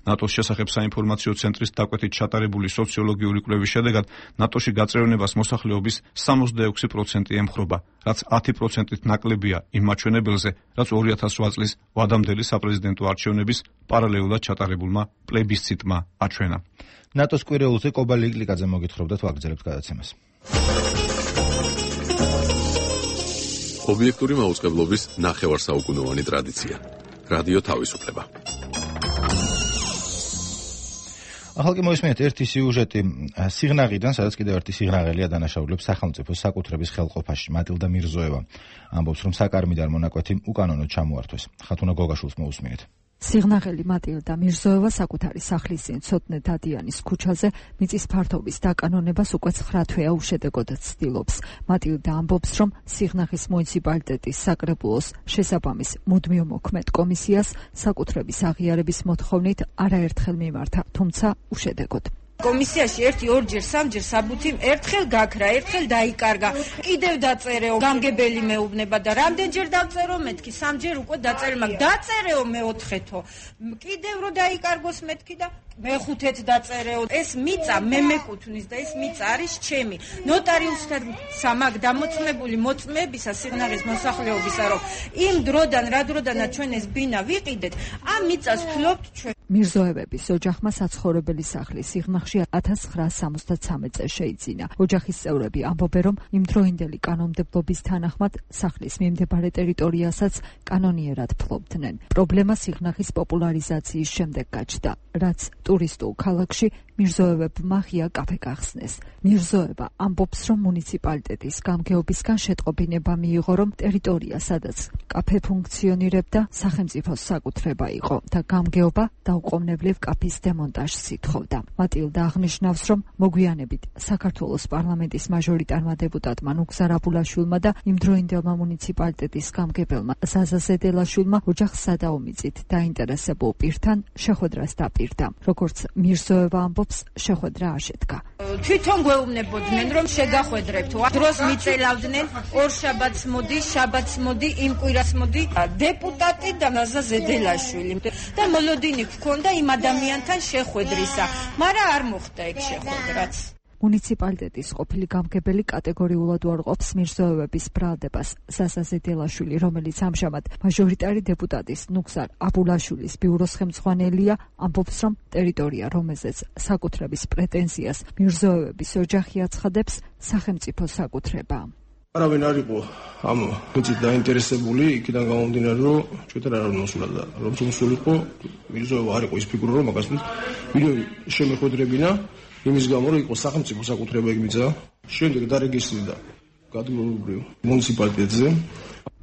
S16: ნატოს შესახებ საინფორმაციო ცენტრის დაკვეთით ჩატარებული სოციოლოგიური კვლევის შედეგად ნატოში გაწევრიანებას მოსახლეობის 66% ემხრობა, რაც 10%-ით ნაკლებია იმ მაჩვენებელზე, რაც 2008 წლის ვადამდელი საპრეზიდენტო არჩევნების პარალელურად ჩატარებულმა პლებისციტმა აჩვენა.
S1: ნატოს კვირეულზე კობა ლიკლიკაძე მოგითხრობდა ვაგრძელებთ გადაცემას.
S19: ობიექტური მაუწყებლობის ნახევარსაუკუნოვანი ტრადიცია. რადიო თავისუფლება.
S1: ახალ კი მოისმენთ ერთი სიუჟეტი სიღნაღიდან, სადაც კიდევ ერთი სიღნაღელია დანაშაულებს სახელმწიფოს საკუთრების ხელყოფაში. მატილდა მირზოევა ამბობს, რომ საკარმიდარ მონაკვეთი უკანონოდ ჩამოართვეს. ხათუნა გოგაშვილს მოусმინეთ.
S20: სიღნაღელი მატილდა მირზოევა საკუთარი სახლის წინ ცოტნე დადიანის ქუჩაზე მიწის ფართობის დაკანონებას უკვე 9 თვეა უშედეგოდ ცდილობს. მატილდა ამბობს, რომ სიღნაღის მუნიციპალიტეტის საკრებულოს შესაბამის მუდმივ მოქმედ კომისიას საკუთრების აღიარების მოთხოვნით არაერთხელ მიმართა, თუმცა უშედეგოდ.
S21: კომისიაში 1-2-ჯერ 3-ჯერ საბუთი ერთხელ გაქრა, ერთხელ დაიკარგა. კიდევ დაწერეო, გამგებელი მეუბნება და რამდენჯერ დავწერო, მეთქი 3-ჯერ უკვე დაწერე, მაგ დაწერეო მეოთხეთო. კიდევ რო დაიკარგოს მეთქი და მეხუთეთ დაწერეო. ეს მიწა მე მეკუთვნის და ეს მიწა არის ჩემი. ნოტარიუსთან სამაგ დამოწმებული მოწმეებისა სიღნაღის მოსახლეობისა, რომ იმ დროდან რა დროდანაც ჩვენ ეს ბინა ვიყიდეთ, ამ მიწას ვფლობთ ჩვენ.
S20: მირზოევების ოჯახმა საცხოვრებელი სახლი სიღნაღში 1973 წელს შეიძინა. ოჯახის წევრები ამბობენ, რომ იმდროინდელი კანონმდებლობის თანახმად სახლის მიმდებარე ტერიტორიასაც კანონიერად ფლობდნენ. პრობლემა სიღნაღის პოპულარიზაციის შემდეგ გაჩნდა, რაც ტურისტულ ქალაქში მირზოევებმა ღია კაფე გახსნეს. მირზოევა ამბობს, რომ მუნიციპალიტეტის გამგეობისგან შეტყობინება მიიღო, რომ ტერიტორია, სადაც კაფე ფუნქციონირებდა, სახელმწიფოს საკუთრება იყო და გამგეობა დაუყოვნებლივ კაფის დემონტაჟს ითხოვდა. მატილდა აღნიშნავს, რომ მოგვიანებით საქართველოს პარლამენტის მაჟორიტარმა დეპუტატმა ნუგზარ აბულაშვილმა და იმდროინდელმა მუნიციპალიტეტის გამგებელმა ზაზა ზედელაშვილმა ოჯახს სადაომიწით დაინტერესებულ პირთან შეხვედრას დაპირდა. როგორც მირზოევა ამბობს, შეხვედრა არ შედგა.
S21: თვითონ გვეუბნებოდნენ, რომ შეგახვედრებთ. დროს მიწელავდნენ, ორ შაბათს მოდი, შაბათს მოდი, იმ კვირას მოდი დეპუტატი და ზაზა ზედელაშვილი და მოლოდინი გქონდა იმ ადამიანთან შეხვედრისა, მაგრამ არ მოხდა ეგ შეხვედრაც.
S20: მუნიციპალიტეტის ყოფილი გამგებელი კატეგორიულად უარყოფს მირზოევების ბრალდებას. ზაზა ზედელაშვილი, რომელიც ამჟამად მაჟორიტარი დეპუტატის ნუგზარ აბულაშვილის ბიუროს ხელმძღვანელია, ამბობს, რომ ტერიტორია, რომელზეც საკუთრების პრეტენზიას მირზოევების ოჯახი აცხადებს, სახელმწიფო საკუთრებაა.
S5: არავინ არ იყო ამ მიწით დაინტერესებული, იქიდან გამომდინარე, რომ ჩვენთან არ მოსულა და რომ მოსულიყო, მირზოევა არ იყო ის ფიგურა, რომ მაგას ვინმე შემეხვედრებინა, იმის გამო, რომ იყო სახელმწიფო საკუთრება ეგ მიწა. შემდეგ დარეგისტრირდა გადმოურბრივ მუნიციპალიტეტზე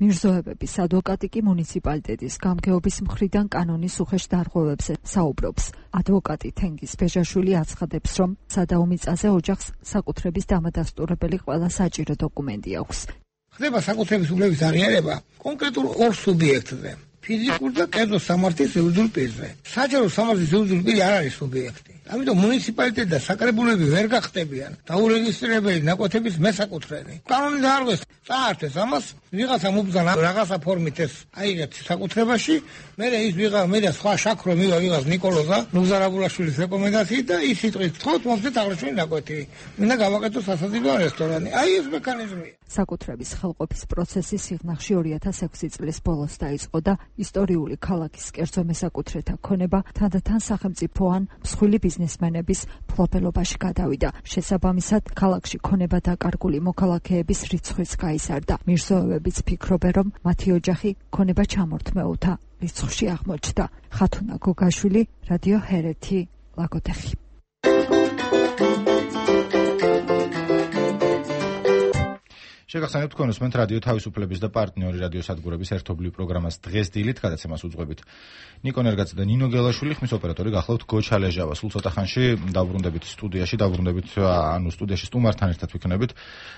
S20: მირზოევების ადვოკატი კი მუნიციპალიტეტის გამგეობის მხრიდან კანონის უხეშ დარღვევებზე საუბრობს. ადვოკატი თენგიზ ბეჟაშვილი აცხადებს, რომ სადაო მიწაზე ოჯახს საკუთრების დამადასტურებელი ყველა საჭირო დოკუმენტი აქვს.
S2: ხდება საკუთრების უფლების აღიარება კონკრეტულ ორ სუბიექტზე. ფიზიკურ და კერძო სამართლის შეუძლურ პირზე. საჯარო სამართლის შეუძლური პირი არ არის სუბიექტი. ამიტომ მუნიციპალიტეტი და საკრებულები ვერ გახდებიან დაურეგისტრირებელი ნაკვეთების მესაკუთრენი. კანონი დაარღვეს, წაართვეს ამას, ვიღაცამ უბრძანა რაღაცა ფორმით ეს აიღეთ საკუთრებაში, მერე ის მე სხვა შაქრო მივა ვიღაც ნიკოლოზა ნუგზარაბულაშვილის რეკომენდაციით და ის სიტყვით თქოთ მომწეთ აღრჩენი ნაკვეთი. მინდა გავაკეთო სასაძირო რესტორანი. აი ეს მექანიზმია.
S20: საკუთრების ხელყოფის პროცესი სიღნაღში 2006 წლის ბოლოს დაიწყო და ისტორიული ქალაქის კერძო მესაკუთრეთა ქონება თანდათან სახელმწიფო ან მსხვილი ბიზნესმენების ფლობელობაში გადავიდა. შესაბამისად, ქალაქში ქონება დაკარგული მოქალაქეების რიცხვიც გაიზარდა. მირზოევებიც ფიქრობენ, რომ მათი ოჯახი ქონება ჩამორთმეულთა რიცხვში აღმოჩნდა. ხათუნა გოგაშვილი, რადიო ჰერეთი, ლაგოდეხი.
S1: შეგახსენებთ თქვენ უსმენთ რადიო თავისუფლების და პარტნიორი რადიო სადგურების ერთობლივ პროგრამას დღეს დილით, გადაცემას უძღვებით ნიკო ნერგაძე და ნინო გელაშვილი, ხმის ოპერატორი გახლავთ გოჩა ლეჟავა. სულ ცოტა ხანში დავბრუნდებით სტუდიაში სტუმართან ერთად ვიქნებით.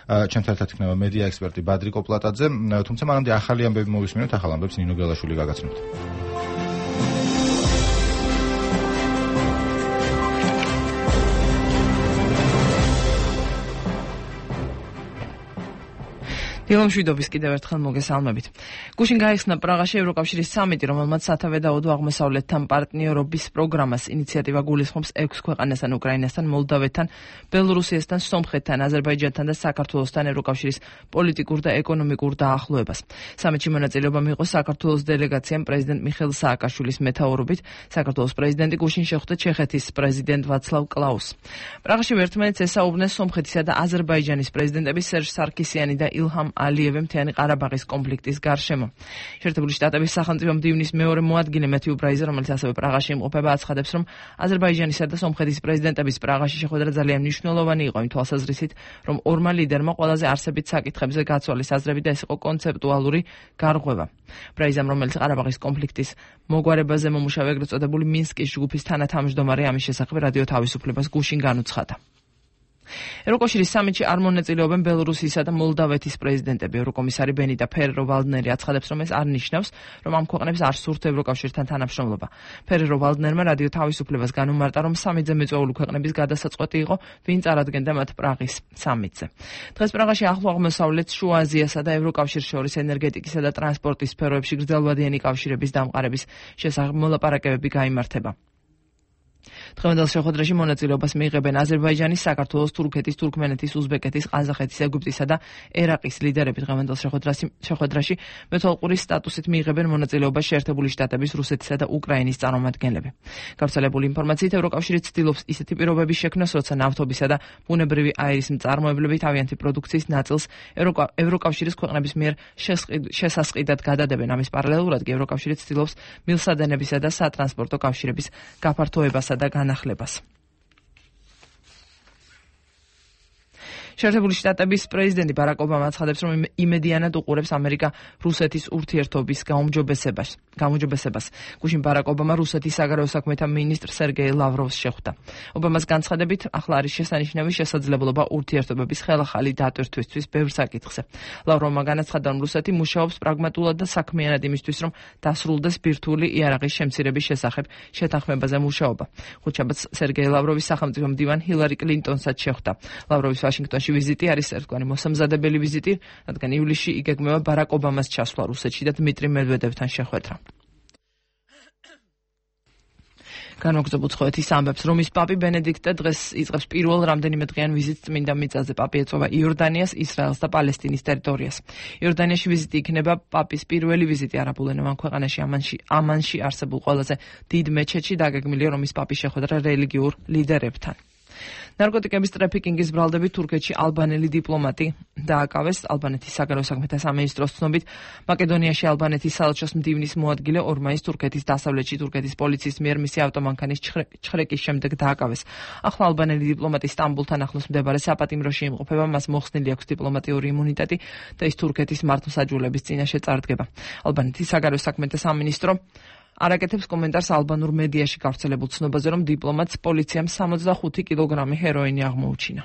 S1: ჩემთან ერთად იქნება მედია ექსპერტი ბადრი კოპლატაძე, თუმცა მანამდე ახალი ამბები მოვისმინოთ, ახალ ამბებს ნინო გელაშვილი გაგაცნობთ.
S22: დილომშვიდობის კიდევ ერთხელ მოგესალმებით. გუშინ გაიხსნა პრაღაში ევროკავშირის სამიტი, რომელმაც სათავე დაუდო აღმოსავლეთთან პარტნიორობის პროგრამას. ინიციატივა გულისხმობს 6 ქვეყანასთან, უკრაინასთან, მოლდავეთთან, ბელორუსიასთან, სომხეთთან, აზერბაიჯანთან და საქართველოსთან ევროკავშირის პოლიტიკურ და ეკონომიკურ დაახლოებას. სამიტში მონაწილეობა მიიღო საქართველოს დელეგაციამ პრეზიდენტ მიხეილ სააკაშვილის მეთაურობით. საქართველოს პრეზიდენტი გუშინ შეხვდა ჩეხეთის პრეზიდენტ ვაცლავ კლაუსს. პრაღაში ერთმანეთს ესაუბრნენ სომხეთისა და აზერბაიჯანის პრეზიდენტები სერჟ სარქისიანი და ილჰამ ალიევი მთიანი ყარაბაღის კონფლიქტის გარშემო. შეერთებული შტატების სახელმწიფო მდივნის მეორე მოადგილე მეთიუ ბრაიზა, რომელიც ასევე პრაღაში იმყოფება, აცხადებს, რომ აზერბაიჯანისა და სომხეთის პრეზიდენტების პრაღაში შეხვედრა ძალიან მნიშვნელოვანი იყო იმ თვალსაზრისით, რომ ორმა ლიდერმა ყველაზე არსებით საკითხებზე გაცვალეს აზრები და ეს იყო კონცეპტუალური გარღვევა. ბრაიზამ, რომელიც ყარაბაღის კონფლიქტის მოგვარებაზე მომუშავე ეგრეთ წოდებული მინსკის ჯგუფის თანათავმჯდომარე, ამის შესახებ რადიო თავისუფლებას გუშინ განუცხადა. ევროკავშირის სამიტში არ მონაწილეობენ ბელორუსიისა და მოლდავეთის პრეზიდენტები. ევროკომისარი ბენიტა ფერერო ვალდნერი აცხადებს, რომ ეს არ ნიშნავს, რომ ამ ქვეყნებს არ სურთ ევროკავშირთან თანამშრომლობა. ფერერო ვალდნერმა რადიო თავისუფლებას განუმარტა, რომ სამიტზე მიწვეული ქვეყნების გადასაწყვეტი იყო, ვინ წარადგენდა მათ პრაღის სამიტზე. დღეს პრაღაში ახლო აღმოსავლეთს, შუა აზიასა და ევროკავშირს შორის ენერგეტიკისა და ტრანსპორტის სფეროებში გრძელვადიანი კავშირების დამყარების შესახებ მოლაპარაკებები გაიმართება. დღევანდელ შეხვედრაში მონაწილეობას მიიღებენ აზერბაიჯანის, საქართველოს, თურქეთის, თურქმენეთის, უზბეკეთის, ყაზახეთის, ეგვიპტისა და ერაყის ლიდერები. დღევანდელ შეხვედრაში მეთვალყურის სტატუსით მიიღებენ მონაწილეობას შეერთებული შტატების, რუსეთისა და უკრაინის წარმომადგენლები. გავრცელებული ინფორმაციით, ევროკავშირი ცდილობს ისეთი პირობების შექმნას, როცა ნავთობისა და ბუნებრივი აირის მწარმოებლები თავიანთი პროდუქციის ნაწილს ევროკავშირის ქვეყნების მიერ შესასყიდად გადადებენ. ამის პარალელურად კი ევროკავშირი ცდილობს მილსადენებისა და სატრანსპორტო კავშირების გაფართოებას და განახლებას. შეერთებული შტატების პრეზიდენტი ბარაკ ობამა აცხადებს, რომ იმედიანად უყურებს ამერიკა-რუსეთის ურთიერთობის გაუმჯობესებას. გუშინ ბარაკ ობამა რუსეთის საგარეო საქმეთა მინისტრ სერგეი ლავროვს შეხვდა. ობამას განცხადებით, ახლა არის შესანიშნავი შესაძლებლობა ურთიერთობების ხელახალი დატვირთვისთვის ბევრ საკითხზე. ლავროვმა განაცხადა, რომ რუსეთი მუშაობს პრაგმატულად და საქმიანად იმისთვის, რომ დასრულდეს ბირთვული იარაღის შემცირების შესახებ შეთანხმებაზე მუშაობა. ხუთშაბათს სერგეი ლავროვის სახელმწიფო მდივან ჰილარი კლინტონსაც შეხვდა. ლავროვის ვაშინგტონში ვიზიტი არის ერთგვარი მოსამზადებელი ვიზიტი, რადგან ივლისში იგეგმება ბარაკ ობამას ჩასვლა რუსეთში და დმიტრი მედვედევთან შეხვედრა. განმოგზაუროთ ცხოეთის ამბებს, რომის პაპი ბენედიქტე დღეს იწყებს პირველ რამდენიმე დღიან ვიზიტს წმინდა მიწაზე. პაპი ეწვევა იორდანიას, ისრაელს და პალესტინის ტერიტორიას. იორდანიაში ვიზიტი იქნება პაპის პირველი ვიზიტი არაბულენოვან ქვეყანაში. ამანში არსებულ ყველაზე დიდ მეჩეთში დაგეგმილია რომის პაპის შეხვედრა რელიგიურ ლიდერებთან. ნარკოტიკების ტრაფიკინგის ბრალდებით თურქეთში ალბანელი დიპლომატი დააკავეს. ალბანეთის საგარეო საქმეთა სამინისტროს ცნობით, მაკედონიაში ალბანეთის საელჩოს მდივნის მოადგილე 2 მაისს თურქეთის დასავლეთში თურქეთის პოლიციის მიერ მისი ავტომანქანის ჩხრეკის შემდეგ დააკავეს. ახლა ალბანელი დიპლომატი სტამბულთან ახლოს მდებარე საპატიმროში იმყოფება, მას მოხსნილი აქვს დიპლომატიური იმუნიტეტი და ის თურქეთის მართლმსაჯულების წინაშე წარდგება. ალბანეთის საგარეო საქმეთა სამინისტრო არაკეთებს კომენტარს ალბანურ მედიაში გავრცელებულ ცნობაზე, რომ დიპლომატს პოლიციამ 65 კილოგრამი ჰეროინი აღმოუჩინა.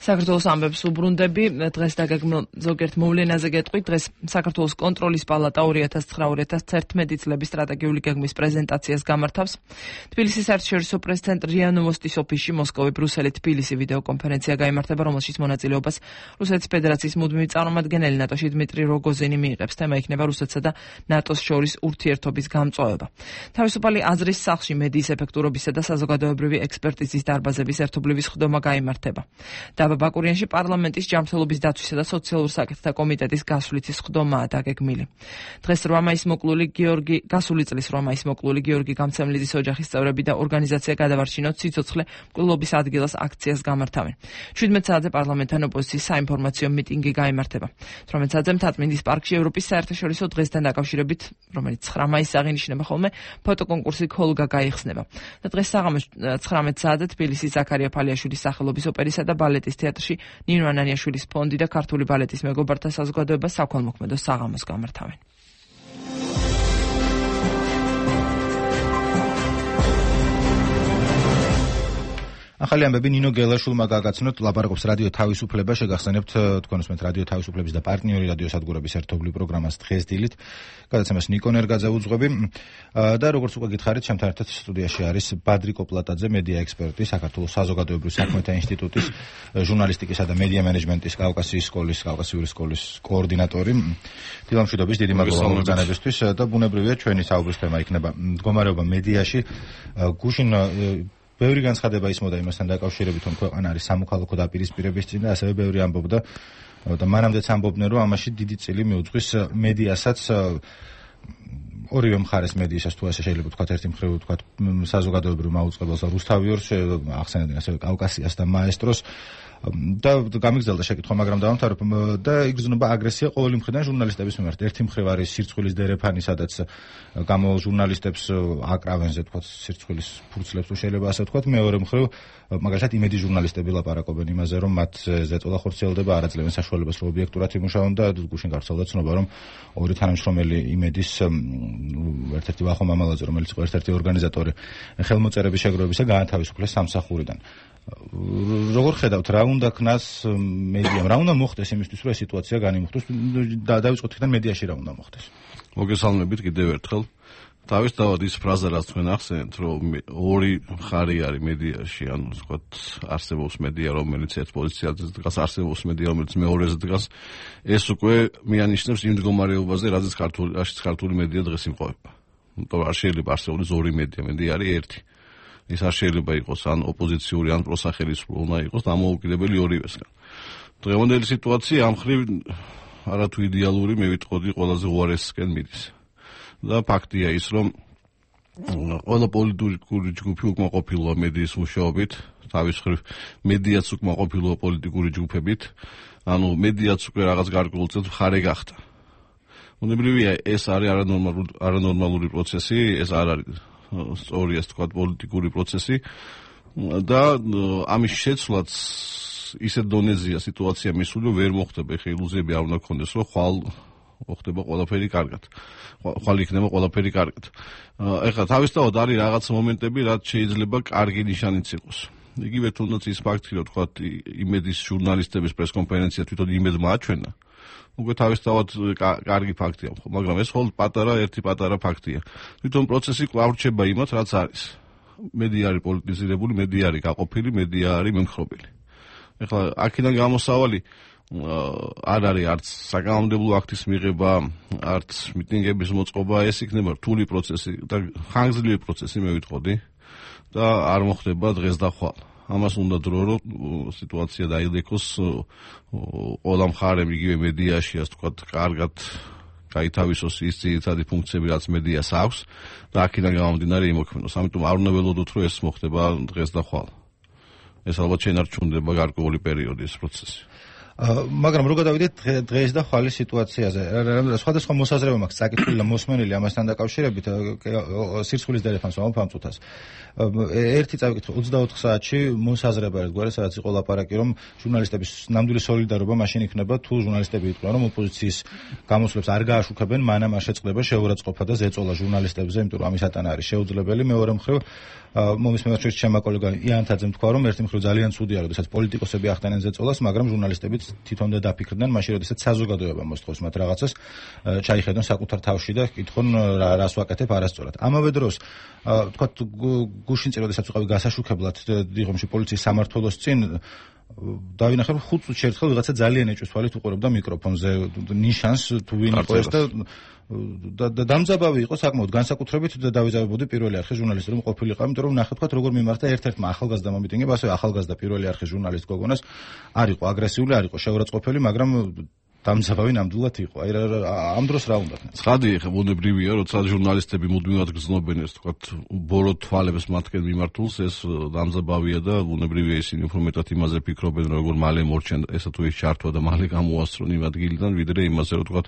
S22: საქართველოს ამბებს უბრუნდები, დღეს დაგეგმილ ზოგიერთ მოვლენაზე გეტყვით. დღეს საქართველოს კონტროლის პალატა 2009-2011 წლების სტრატეგიული გეგმის პრეზენტაციას გამართავს. თბილისის საერთაშორისო პრეს-ცენტრ რია ნოვოსტის ოფისში მოსკოვი, ბრუსელი, თბილისი ვიდეოკონფერენცია გაიმართება, რომელშიც მონაწილეობას რუსეთის ფედერაციის მუდმივი წარმომადგენელი ნატოში დმიტრი როგოზინი მიიღებს. თემა იქნება რუსეთსა და ნატოს შორის ურთიერთობის გამწვავება. თავისუფალი აზრის სახლში მედიის ეფექტურობისა და საზოგადოებრივი ექსპერტიზის დარბაზების ერთობლივი სხდომა გაიმართება. ბაკურიანში პარლამენტის ჯანმრთელობის დაცვისა და სოციალურ საკითხთა კომიტეტის გასვლითი სხდომაა დაგეგმილი. დღეს 8 მაისს მოკლული გასული წლის 8 მაისს მოკლული გიორგი გამცემლიძის ოჯახის წევრები და ორგანიზაცია გადავარჩინოთ სიცოცხლე მკვლობის ადგილას აქციას გამართავენ. 17 საათზე პარლამენტთან ოპოზიციის საინფორმაციო მიტინგი გაიმართება. 18 საათზე მთაწმინდის პარკში ევროპის საერთაშორისო დღესთან დაკავშირებით, რომელიც 9 მაისს აღინიშნება ხოლმე, ფოტოკონკურსი ქოლგა გაიხსნება. და დღეს საღამოს 19 საათზე თბილისის ზაქარია ფალიაშვილის სახელობის ოპერისა და ბალეტის თეატრში ნინო ანანიაშვილის ფონდი და ქართული ბალეტის მეგობართა საზოგადოება საქველმოქმედო საღამოს გამართავენ.
S1: ახალი ამბები ნინო გელაშვილმა გაგაცნოთ, ლაპარაკობს რადიო თავისუფლება, შეგახსენებთ თქვენ უსმენთ რადიო თავისუფლების და პარტნიორი რადიო სადგურების ერთობლივ პროგრამას დღეს დილით. გადაცემას ნიკო ნერგაძე უძღვები და როგორც უკვე გითხარით, ჩემთან ერთად სტუდიაში არის ბადრი კოპლატაძე, მედია ექსპერტი, საქართველოს საზოგადოებრივ საქმეთა ინსტიტუტის ჟურნალისტიკისა და მედია მენეჯმენტის კავკასიური სკოლის კოორდინატორი. დილამშვიდობის, დიდი მადლობა მოგზაურობისთვის და ბუნებრივია ჩვენი საუბრის თემა იქნება მდგომარეობა მედიაში. გუშინ ბევრი განცხადება ისმოდა იმასთან დაკავშირებით, რომ ქვეყანა არის სამოქალაქო დაპირისპირების წინ და ასევე ბევრი ამბობდა და მანამდეც ამბობდნენ, რომ ამაში დიდი წილი მიუძღვის მედიასაც, ორივე მხარეს მედიასაც, თუ ასე შეიძლება ვთქვათ, ერთი მხრივ ვთქვათ საზოგადოებრივ მაუწყებელს რუსთავიორს, ახსენებდნენ ასევე კავკასიას და მაესტროს და გამიგზელდა შეკითხვა, მაგრამ დავამთავრებ და იგრძნობა აგრესია ყოველი მხრიდან ჟურნალისტების მიმართ. ერთი მხრივ არის სირცხვილის დერეფანი, სადაც ჟურნალისტებს აკრავენ, ვთქვათ, სირცხვილის ფურცლებს, თუ შეიძლება ასე ვთქვათ. მეორე მხრივ, მაგალითად, იმედი ჟურნალისტები ლაპარაკობენ იმაზე, რომ მათ ზეწოლა ხორციელდება, არ აძლევენ საშუალებას, რომ ობიექტურად იმუშაონ და გუშინ გავრცელდა ცნობა, რომ ორი თანამშრომელი იმედის ერთ-ერთი ვახო მამალაძე, რომელიც იყო ერთ-ერთი ორგანიზატორი ხელმოწერების შეგროვებისა, გაათავისუფლეს სამსახურიდან. როგორ ხედავთ, რა უნდა ქნას მედიამ, რა უნდა მოხდეს იმისთვის, რომ ეს სიტუაცია განიმუხტოს და დავიწყოთ იქიდან მედიაში რა უნდა მოხდეს?
S3: მოგესალმებით კიდევ ერთხელ. თავისთავად ის ფრაზა, რაც თქვენ ახსენეთ, რომ ორი მხარე არის მედიაში, ანუ ვთქვათ, არსებობს მედია, რომელიც ერთ პოზიციაზე დგას, არსებობს მედია, რომელიც მეორეზე დგას, ეს უკვე მიანიშნებს იმ მდგომარეობაზე, რაზეც ქართული მედია დღეს იმყოფება. იმიტომ რომ არ შეიძლება არსებობდეს ორი მედია, მედია არის ერთი. ის არ შეიძლება იყოს ან ოპოზიციური, ან პროსახელისმრო, უნდა იყოს დამოუკიდებელი ორივესგან. დღევანდელი სიტუაცია ამ მხრივ არათუ იდეალური, მე ვიტყოდი, ყველაზე უარესისკენ მიდის. და ფაქტია ის, რომ ყველა პოლიტიკური ჯგუფი უკმაყოფილოა მედიის მუშაობით, თავის მხრივ მედიაც უკმაყოფილოა პოლიტიკური ჯგუფებით, ანუ მედიაც უკვე რაღაც გარკვეულწილად მხარე გახდა. უნებრივია, ეს არის არანორმალური პროცესი, ეს არ არის სწორი, ასე ვთქვათ, პოლიტიკური პროცესი და ამის შეცვლაც ისეთ დონეზეა სიტუაცია მისული, ვერ მოხდება, ხე ილუზიები არ უნდა გქონდეს, რომ ხვალ მოხდება ყველაფერი კარგად. ხვალ იქნება ყველაფერი კარგად. ეხლა თავისთავად არის რაღაც მომენტები, რაც შეიძლება კარგი ნიშანიც იყოს. იგივე თუნდაც ის ფაქტი, რომ თქვათ, იმედის ჟურნალისტების პრესკონფერენცია თვითონ იმედმა აჩვენა. უკვე თავისთავად კარგი ფაქტია, მაგრამ ეს მხოლოდ ერთი პატარა ფაქტია. თვითონ პროცესი კვლავ რჩება იმათ, რაც არის. მედია არის პოლიტიზირებული, მედია არის გაყოფილი, მედია არის მემხრობელი. ეხლა აქედან გამოსავალი არ არის არც საკანონმდებლო აქტის მიღება, არც მიტინგების მოწყობა, ეს იქნება რთული პროცესი და ხანგრძლივი პროცესი, მე ვიტყოდი და არ მოხდება დღეს და ხვალ. ამას უნდა დრო, რომ სიტუაცია დაიდექოს ყველა მხარემ, იგივე მედიაში, ასე ვთქვათ, კარგად გაითავისოს ის ძირითადი ფუნქციები, რაც მედიას აქვს და აქედან გამომდინარე იმოქმედოს. ამიტომ არ უნდა ველოდოთ, რომ ეს მოხდება დღეს და ხვალ. ეს ალბათ შენარჩუნდება გარკვეული პერიოდი ეს პროცესი.
S1: მაგრამ რო გადავიდეთ დღეს და ხვალის სიტუაციაზე, სხვადასხვა მოსაზრება მაქვს წაკითხული და მოსმენილი ამასთან დაკავშირებით სირცხვილის დელეფანს ვამფამწუთას. ერთი წავიკითხე 24 საათში მოსაზრება ერთგვარი, სადაც იყო ლაპარაკი, რომ ჟურნალისტების ნამდვილი სოლიდარობა მაშინ იქნება, თუ ჟურნალისტები იყვნენ, რომ ოპოზიციის გამოსვლებს არ გააშუქებენ, მანამ არ შეწყდება შეურაცხყოფა და ზეწოლა ჟურნალისტებზე, იმიტომ რომ ამისათანა არის შეუძლებელი. მეორე მხრივ მომისმენად ჩემმა კოლეგამ იანთაძემ თქვა, რომ ერთი მხრივ ძალიან ცუდია, როდესაც პოლიტიკოსები ახდენენ ზეწოლას, მაგრამ ჟურნალისტები თვითონ და დაფიქრდნენ მაშინ, როდესაც საზოგადოება მოსთხოვს მათ რაღაცას, ჩაიხედონ საკუთარ თავში და კითხონ რას ვაკეთებ არასწორად. ამავე დროს თქვა გუშინ წინ, როდესაც ვიყავი გასაშუქებლად დიღომში პოლიციის სამმართველოს წინ, დავინახე, რომ 5 წუთში ერთხელ ვიღაცა ძალიან ეჭვს თვალით უყურებდა მიკროფონზე ნიშანს, თუ ვინ იყო ეს და დამძაბავი იყო საკმაოდ განსაკუთრებით და დავიზარებოდი პირველი არხის ჟურნალისტი რომ ყოფილიყო, იმიტომ რომ ნახეთ, როგორ მიმართა ერთ-ერთმა ახალგაზრდა მომიტინგემ, ასევე ახალგაზრდა პირველი არხის ჟურნალისტ გოგონას, არ იყო აგრესიული, არ იყო შეურაცხყოფელი, მაგრამ დამძაბავი ნამდვილად იყო. აი ამ დროს რა უნდა?
S3: ცხადი ხა ბუნებრივია, როცა ჟურნალისტები მუდმივად გრძნობენ ეს თქვა ბორო თვალებს მათკენ მიმართულს, ეს დამძაბავია და ბუნებრივია ისინი უფრო მეტად იმაზე ფიქრობენ, როგორ მალე მორჩენ ესა თუ ის ჩართვა და მალე გამოასწრონ იმ ადგილიდან, ვიდრე იმაზე, რომ თქვა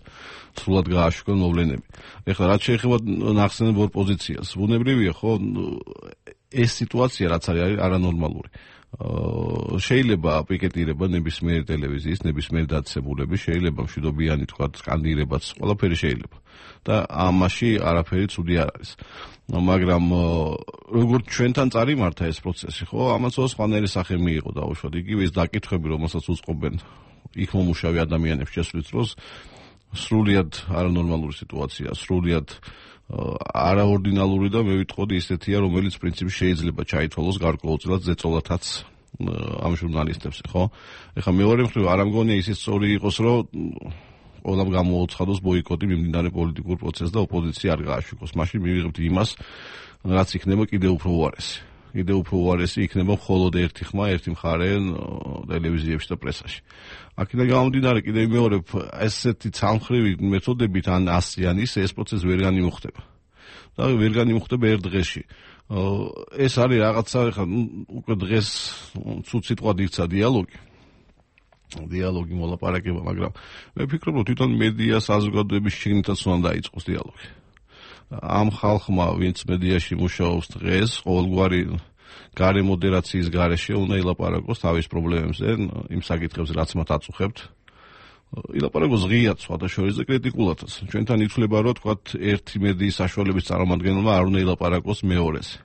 S3: სრულად გააშუქონ მოვლენები. ეხლა რაც შეეხება ნახსენებ ოპოზიციას, ბუნებრივია, ხო, ეს სიტუაცია რაც არის არანორმალური. შეიძლება პიკეტირება ნებისმიერ ტელევიზიის, ნებისმიერ დაწესებულების, შეიძლება მშვიდობიანი თქვა სკანდირებაც, ყველაფერი შეიძლება. და ამაში არაფერი ცუდი არ არის. მაგრამ როგორც ჩვენთან წარიმართა ეს პროცესი, ხო, ამას სხვანაირი სახე მიიღო დაუშვათ. იგივე ის დაკითხვები, რომელსაც უწყობენ იქ მომუშავე ადამიანებს შესვლის დროს, სრულიად არანორმალური სიტუაცია, სრულიად არაორდინალური და მე ვიტყოდი ისეთია, რომელიც პრინციპი შეიძლება ჩაითვალოს გარკვეულწილად ზეწოლათაც ამ ჟურნალისტებს, ხო? ეხლა მეორე მხრივ არ ამგონია ისიც სწორი იყოს, რომ ყველამ გამოუცხადოს ბოიკოტი მიმდინარე პოლიტიკურ პროცესს და ოპოზიცია არ გააშუქოს. მაშინ მივიღებთ იმას, რაც იქნება კიდევ უფრო უარესი. კიდევ უფრო უარესი იქნება მხოლოდ ერთი ხმა, ერთი მხარე ტელევიზიებში და პრესაში. აქედან გამომდინარე კიდევ მეორე ესეთი ცალმხრივი მეთოდებით ან ასიანის ეს პროცესი ვერ განიმუხტება. და ვერ განიმუხტება ერთ დღეში. ეს არის რაღაცა, ხა უკვე დღეს ცუდ სიტყვად იქცა დიალოგი მოლაპარაკება, მაგრამ მე ვფიქრობ, რომ თვითონ მედია საზოგადოების შიგნითაც უნდა დაიწყოს დიალოგი. ამ ხალხმა, ვინც მედიაში მუშაობს დღეს, ყოველგვარი გარე მოდერაციის გარეშე უნდა ილაპარაკოს თავის პრობლემებზე, იმ საკითხებზე, რაც მათ აწუხებთ. ილაპარაკოს ღიად, სხვადასხვა და კრიტიკულადაც. ჩვენთან ითვლება, რომ თქვათ ერთი მედიის საშუალების წარმომადგენელმა არ უნდა ილაპარაკოს მეორეზე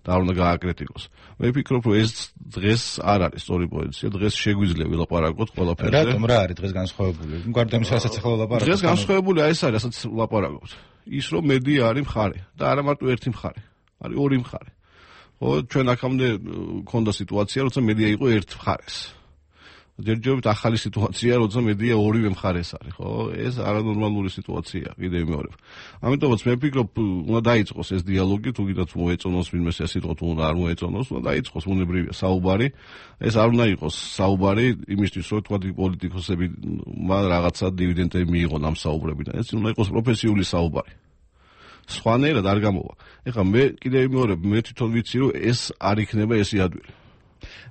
S3: და არ უნდა გააკრიტიკოს. მე ვფიქრობ, რომ ეს დღეს არ არის სწორი პოზიცია. დღეს შეგვიძლია ვილაპარაკოთ ყველაფერზე.
S1: რატომ რა არის დღეს განსხვავებული? გარდა იმისა, რასაც ახლა ვილაპარაკოთ.
S3: დღეს განსხვავებული ეს არის, რასაც ვილაპარაკოთ. ის რომ მედია არის მხარე და არა მარტო ერთი მხარე, არის ორი მხარე. ხო, ჩვენ აქამდე ქონდა სიტუაცია, როცა მედია იყო ერთ მხარეს. ჯერჯერობით ახალი სიტუაცია, როცა მედია ორივე მხარეს არის, ხო? ეს არანორმალური სიტუაცია, კიდევ მეორე. ამიტომაც მე ვფიქრობ, უნდა დაიწყოს ეს დიალოგი, თუ კიდაც მოეწონოს ვინმე ეს სიტყვა, თუ არ მოეწონოს, უნდა დაიწყოს ბუნებრივია საუბარი. ეს არ უნდა იყოს საუბარი იმისთვის, რომ თქვა პოლიტიკოსები რაღაცა დივიდენდები მიიღონ ამ საუბრებიდან. ეს უნდა იყოს პროფესიული საუბარი. სხვანაირად არ გამოვა. ეხლა მე კიდევ მეორე, მე თვითონ ვიცი, რომ ეს არ იქნება ეს იადვილი.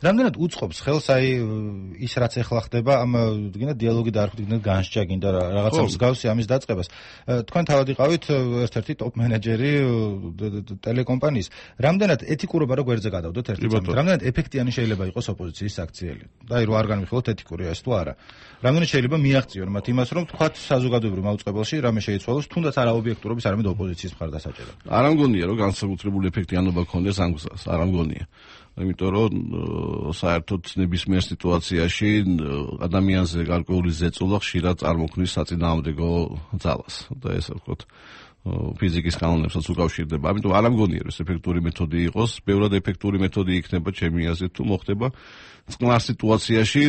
S1: რამდენად უწყობს ხელს აი ის რაც ახლა ხდება ამ გინდა დიალოგი და არ ხდება განსჯა გინდა რაღაცა მსგავსი ამის დაწყებას. თქვენ თავად იყავით ერთ-ერთი ტოპ მენეჯერი ტელეკომპანიის. რამდენად ეთიკურობა რო გვერდზე გადავდოთ ერთი წამით. რამდენად ეფექტიანი შეიძლება იყოს ოპოზიციის აქციელი. და აი რო არ განვიხილოთ ეთიკურია ეს თუ არა. რამდენად შეიძლება მიაღწიონ მათ იმას რომ თქვათ საზოგადოებრივ მაუწყებელში რამე შეიცვალოს თუნდაც არა ობიექტურობის არამედ ოპოზიციის მხარდასაჭერად.
S3: არ ამგონია რომ განსაკუთრებული ეფექტიანობა ქონდეს ამ გზას. არ ამგონია. იმიტომ რომ საერთოდ ნებისმიერ სიტუაციაში ადამიანზე გარკვეული ზეწოლა ხშირად წარმოქმნის საწინააღმდეგო ძალას და ეს ვთქვათ ფიზიკის კანონებსაც უკავშირდება. ამიტომ არ ამგონია რომ ეს ეფექტური მეთოდი იყოს, ბევრად ეფექტური მეთოდი იქნება ჩემი აზრით თუ მოხდება წყნარ სიტუაციაში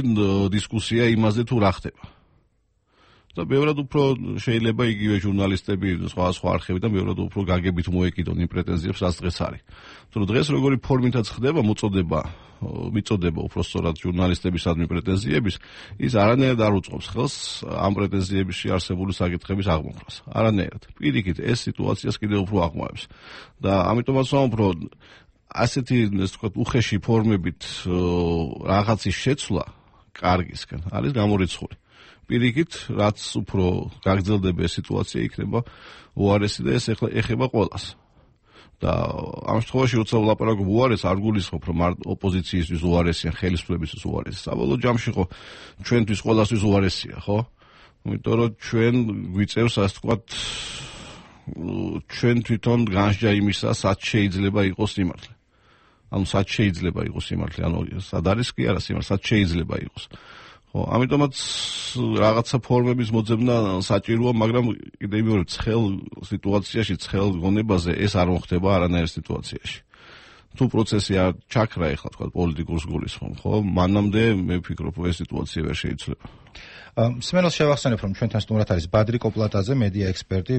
S3: დისკუსია იმაზე თუ რა ხდება. და ბევრად უფრო შეიძლება იგივე ჟურნალისტები სხვა არხებიდან ბევრად უფრო გაგებით მოეკიდონ იმ პრეტენზიებს, რაც დღეს არის. თუმცა დღეს როგორი ფორმითაც ხდება მიწოდება უпростоრად ჟურნალისტებისადმი პრეტენზიების, ის არანაირად არ უწყობს ხელს ამ პრეტენზიებში არსებული საკითხების აღმოფხვრას. არანაირად. პირიქით ეს სიტუაციას კიდევ უფრო აღმავებს. და ამიტომაც ვამბობ, ასეთი ეს თქვა უხეში ფორმებით რაღაცის შეცვლა კარგისკენ არის გამორიცხული. პირიქით, რაც უფრო გაგრძელდება ეს სიტუაცია, იქნება უარესი და ეს ეხება ყველას. და ამ შემთხვევაში როცა ვლაპარაკობ უარეს, არ გულისხმობ, რომ ოპოზიციისთვის უარესია, ხელისუფლებისთვის უარესია. საბოლოო ჯამში ხო ჩვენთვის ყველასთვის უარესია, ხო? იმიტომ რომ ჩვენ გვიწევს, ასე ვთქვათ, ჩვენ თვითონ განსჯა იმისა, სად შეიძლება იყოს სიმართლე. ანუ სად შეიძლება იყოს სიმართლე, ანუ სად არის კი არა სიმართლე, სად შეიძლება იყოს. ხო, ამიტომაც რაღაცა ფორმების მოძებნა საჭიროა, მაგრამ კიდევ მეორე ცხელ სიტუაციაში, ცხელ გონებაზე ეს არ მოხდება არანაირ სიტუაციაში. თუ პროცესი არ ჩაქრა ეხლა თქვა პოლიტიკურს გულისხმობ, ხო? მანამდე მე ვფიქრობ, რომ ეს სიტუაცია ვერ შეიძლება.
S1: სმენელს შევახსენებ, რომ ჩვენთან სტუმრად არის ბადრი კოპლატაძე, მედია ექსპერტი,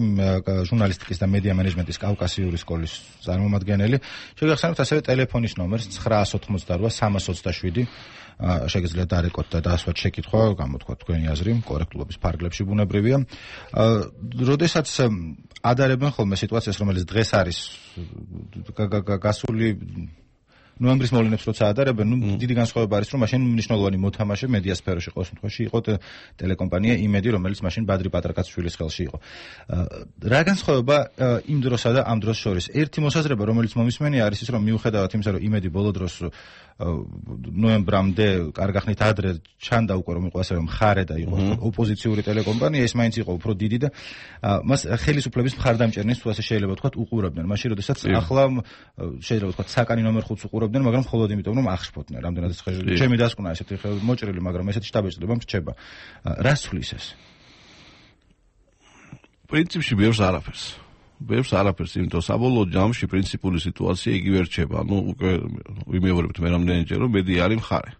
S1: ჟურნალისტიკის და მედია მენეჯმენტის კავკასიური სკოლის წარმომადგენელი. შევახსენებთ ასევე ტელეფონის ნომერს 988 327 შეგიძლიათ დარეკოთ და დაასვათ შეკითხვა, გამოთქვათ თქვენი აზრი, კორექტულობის ფარგლებში ბუნებრივია. როდესაც ადარებენ ხოლმე სიტუაციას, რომელიც დღეს არის გასული ნოემბრის მოვლენებს როცა ადარებენ, დიდი განსხვავება არის, რომ მაშინ მნიშვნელოვანი მოთამაშე მედია სფეროში ყოველ შემთხვევაში იყო ტელეკომპანია იმედი, რომელიც მაშინ ბადრი პატრაკაცშვილის ხელში იყო. რა განსხვავება იმ დროსა და ამ დროს შორის? ერთი მოსაზრება, რომელიც მომისმენია, არის ის, რომ მიუხედავად იმისა, რომ იმედი ბოლო დროს ნოემბრამდე კარგახნით ადრე ჩანდა უკვე რომ იყო ასე რომ მხარე და იყო ოპოზიციური ტელეკომპანია, ეს მაინც იყო უფრო დიდი და მას ხელისუფლების მხარდამჭერნეს თუ ასე შეიძლება ვთქვათ უყურებდნენ. მაშინ როდესაც ახლა შეიძლება ვთქვათ საკანი ნომერ 5-ს უყურებდნენ, მაგრამ მხოლოდ იმიტომ რომ აღშფოთდნენ. რამდენადაც ჩემი დასკვნა ესეთი მოჭრილი, მაგრამ ესეთი შტაბეჭდება მრჩება. რას თulis ეს?
S3: პრინციპში ბევრს არაფერს, იმიტომ საბოლოო ჯამში პრინციპული სიტუაცია იგივე რჩება. ანუ უკვე ვიმეორებთ მე რამდენჯერ რომ მედია არის მხარე.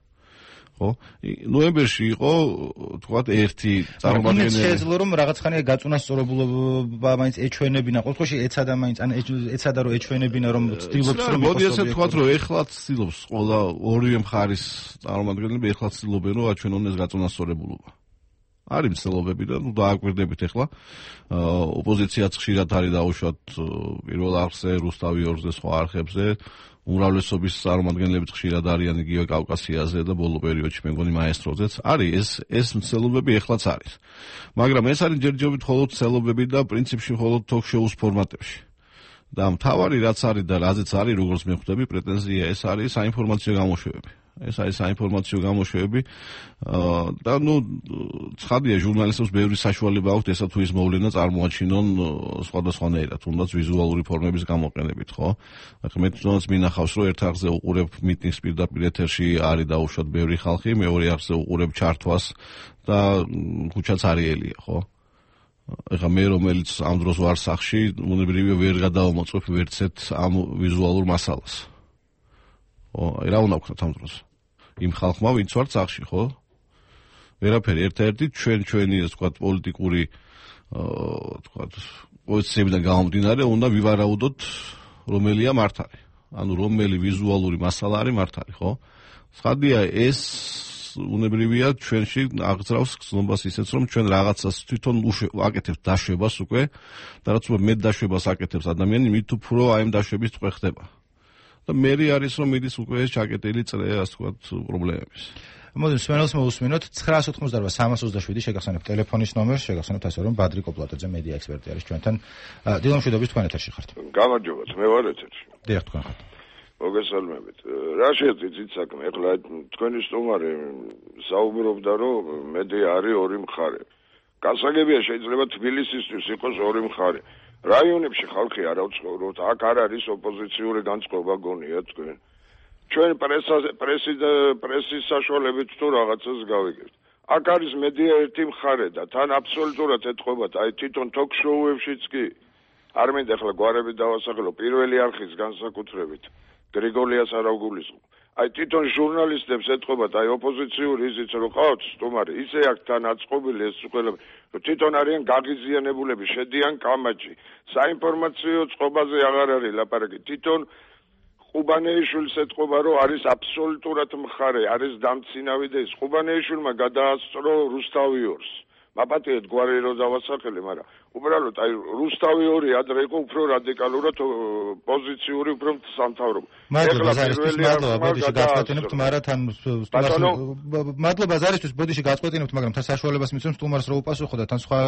S3: ხო? ნოემბერში იყო თქვათ ერთი წარმომადგენელი.
S1: შეეძლო რომ რაღაცხანია გაწუნასწორებულობა მაინც ეჩვენებინა. ყოველ შემთხვევაში ეცადა მაინც ან ეცადა რომ ეჩვენებინა რომ ცდილობს რომ
S3: მოდი ასე თქვათ რომ ეხლა ცდილობს ყველა ორივე მხარის წარმომადგენლები ეხლა ცდილობენ რომ აჩვენონ ეს გაწუნასწორებულობა. არის მცდელობები და დააკვირდებით ეხლა ოპოზიციაც ხშირად არის დაუშვათ პირველ არხზე, რუსთავი 2-ზე, სხვა არხებზე, უმრავლესობის წარმომადგენლები ხშირად არიან იგივე კავკასიაზე და ბოლო პერიოდში მე მგონი მაესტროზეც არის ეს მცდელობები ეხლაც არის. მაგრამ ეს არის ჯერჯერობით მხოლოდ მცდელობები და პრინციპში მხოლოდ ток-შოუს ფორმატებში. და მთავარი რაც არის და რაზეც არის როგორც მე ხვდები პრეტენზია ეს არის საინფორმაციო გამოშვებები. ეს არის საინფორმაციო გამოშვებები და ნუ ცხადია ჟურნალისტებს ბევრი საშუალება აქვთ ესა თუ ის მოვლენა წარმოაჩინონ სხვადასხვანაირად, თუნდაც ვიზუალური ფორმების გამოყენებით, ხო? ახლა მე თვითონაც მინახავს რომ ერთ არხზე უყურებ მიტინგს პირდაპირ ეთერში არის დაუშვათ ბევრი ხალხი, მეორე არხზე უყურებ ჩართვას და ქუჩაც არიელია, ხო? ახლა მე რომელიც ამ დროს ვარ სახში, უნებრივია ვერ გადავამოწმებ ვერცეთ ამ ვიზუალურ მასალას. ხო, რა უნდა ვქნათ ამ დროს? იმ ხალხმა ვინც ვარ სახში, ხო? ვერაფერი, ერთ-ერთი ჩვენი ასე ვთქვათ პოლიტიკური ვთქვათ პოზიციებიდან გამომდინარე უნდა ვივარაუდოთ რომელია მართალი. ანუ რომელი ვიზუალური მასალა არის მართალი, ხო? ცხადია ეს უნებრივია ჩვენში აღძრავს გზნობას ისეც რომ ჩვენ რაღაცას თვითონ ვაკეთებთ დაშვებას უკვე და რაც უფრო მეტ დაშვებას აკეთებს ადამიანი, მით უფრო აი ამ დაშვების წვე ხდება. და მე არის რომ მიდის უკვე ეს ჩაკეტილი წრე, ასე ვთქვათ, პრობლემების.
S1: მოდით სმენელს მოვუსმინოთ 988 შეგახსენებთ ტელეფონის ნომერს, შეგახსენებთ ასე რომ ბადრი კოპლატაძე მედია ექსპერტი არის ჩვენთან. დილამშვიდობის თქვენ ეთერში ხართ.
S4: გამარჯობათ, მე ვარ ეთერში.
S1: დიახ, თქვენ ხართ.
S4: მოგესალმებით. რა შეეძით საქმე? ეხლა თქვენი სტუმარი საუბრობდა რომ მედია არის ორი მხარე. გასაგებია შეიძლება თბილისისთვის იყოს ორი მხარე. რაიონებში ხალხი არ ავცხოვროთ, აქ არ არის ოპოზიციური განწყობა გონია თქვენ. ჩვენ პრესის საშუალებით თუ რაღაცას გავიგებთ. აქ არის მედია ერთი მხარე და თან აბსოლუტურად ეთხოვათ აი თვითონ ток-შოუებშიც კი არ მინდა ახლა გვარები დავასახელო პირველი არხის განსაკუთრებით გრიგოლიას არ ავგულისხმობ. აი თვითონ ჟურნალისტებს ეთყობათ, აი ოპოზიციური ისიც რომ ყავთ სტუმარი, ისე აქ თან აწყობილი ეს ყველა, რომ თვითონ არიან გაღიზიანებულები, შედიან კამაჩი. საინფორმაციო წყობაზე აღარ არის ლაპარაკი. თვითონ ყუბანეიშვილს ეთყობა, რომ არის აბსოლუტურად მხარე, არის დამცინავი და ის ყუბანეიშვილმა გადაასწრო რუსთავიორს. მაპატიეთ გვარი რო დავასახელე, მაგრამ უბრალოდ აი რუსთავიორი ადრე იყო უფრო რადიკალურად პოზიციური, უფრო სამთავრობო.
S1: მადლობა ზარისთვის, მადლობა, ბოდიში გაწყვეტინებთ, მაგრამ თან სტუმარს მადლობა ზარისთვის, ბოდიში გაწყვეტინებთ, მაგრამ თან საშუალებას მიცემ სტუმარს რო უპასუხო და თან სხვა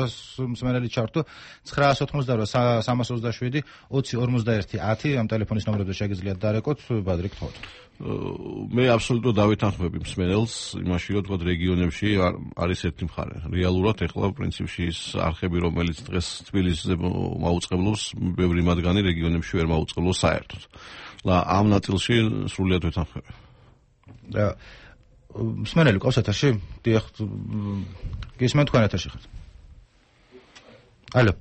S1: მსმენელი ჩართო 988 327 20 51 10 ამ ტელეფონის ნომრებზე შეგიძლიათ დარეკოთ, ბადრი გთხოვთ.
S3: მე აბსოლუტურად დავეთანხმები მსმენელს იმაში, რომ თქვა რეგიონებში არის ერთი მხარე. რეალურად ეხლა პრინციპში ის არხები, რომელიც დღეს თბილისზე მაუწყებლობს, ბევრი მათგანი რეგიონებში ვერ მაუწყებლობს საერთოდ. ამ ნაწილში სრულიად ვეთანხმები.
S1: მსმენელი ყავს ეთერში? დიახ, გისმენთ თქვენ ეთერში ხართ. ალო.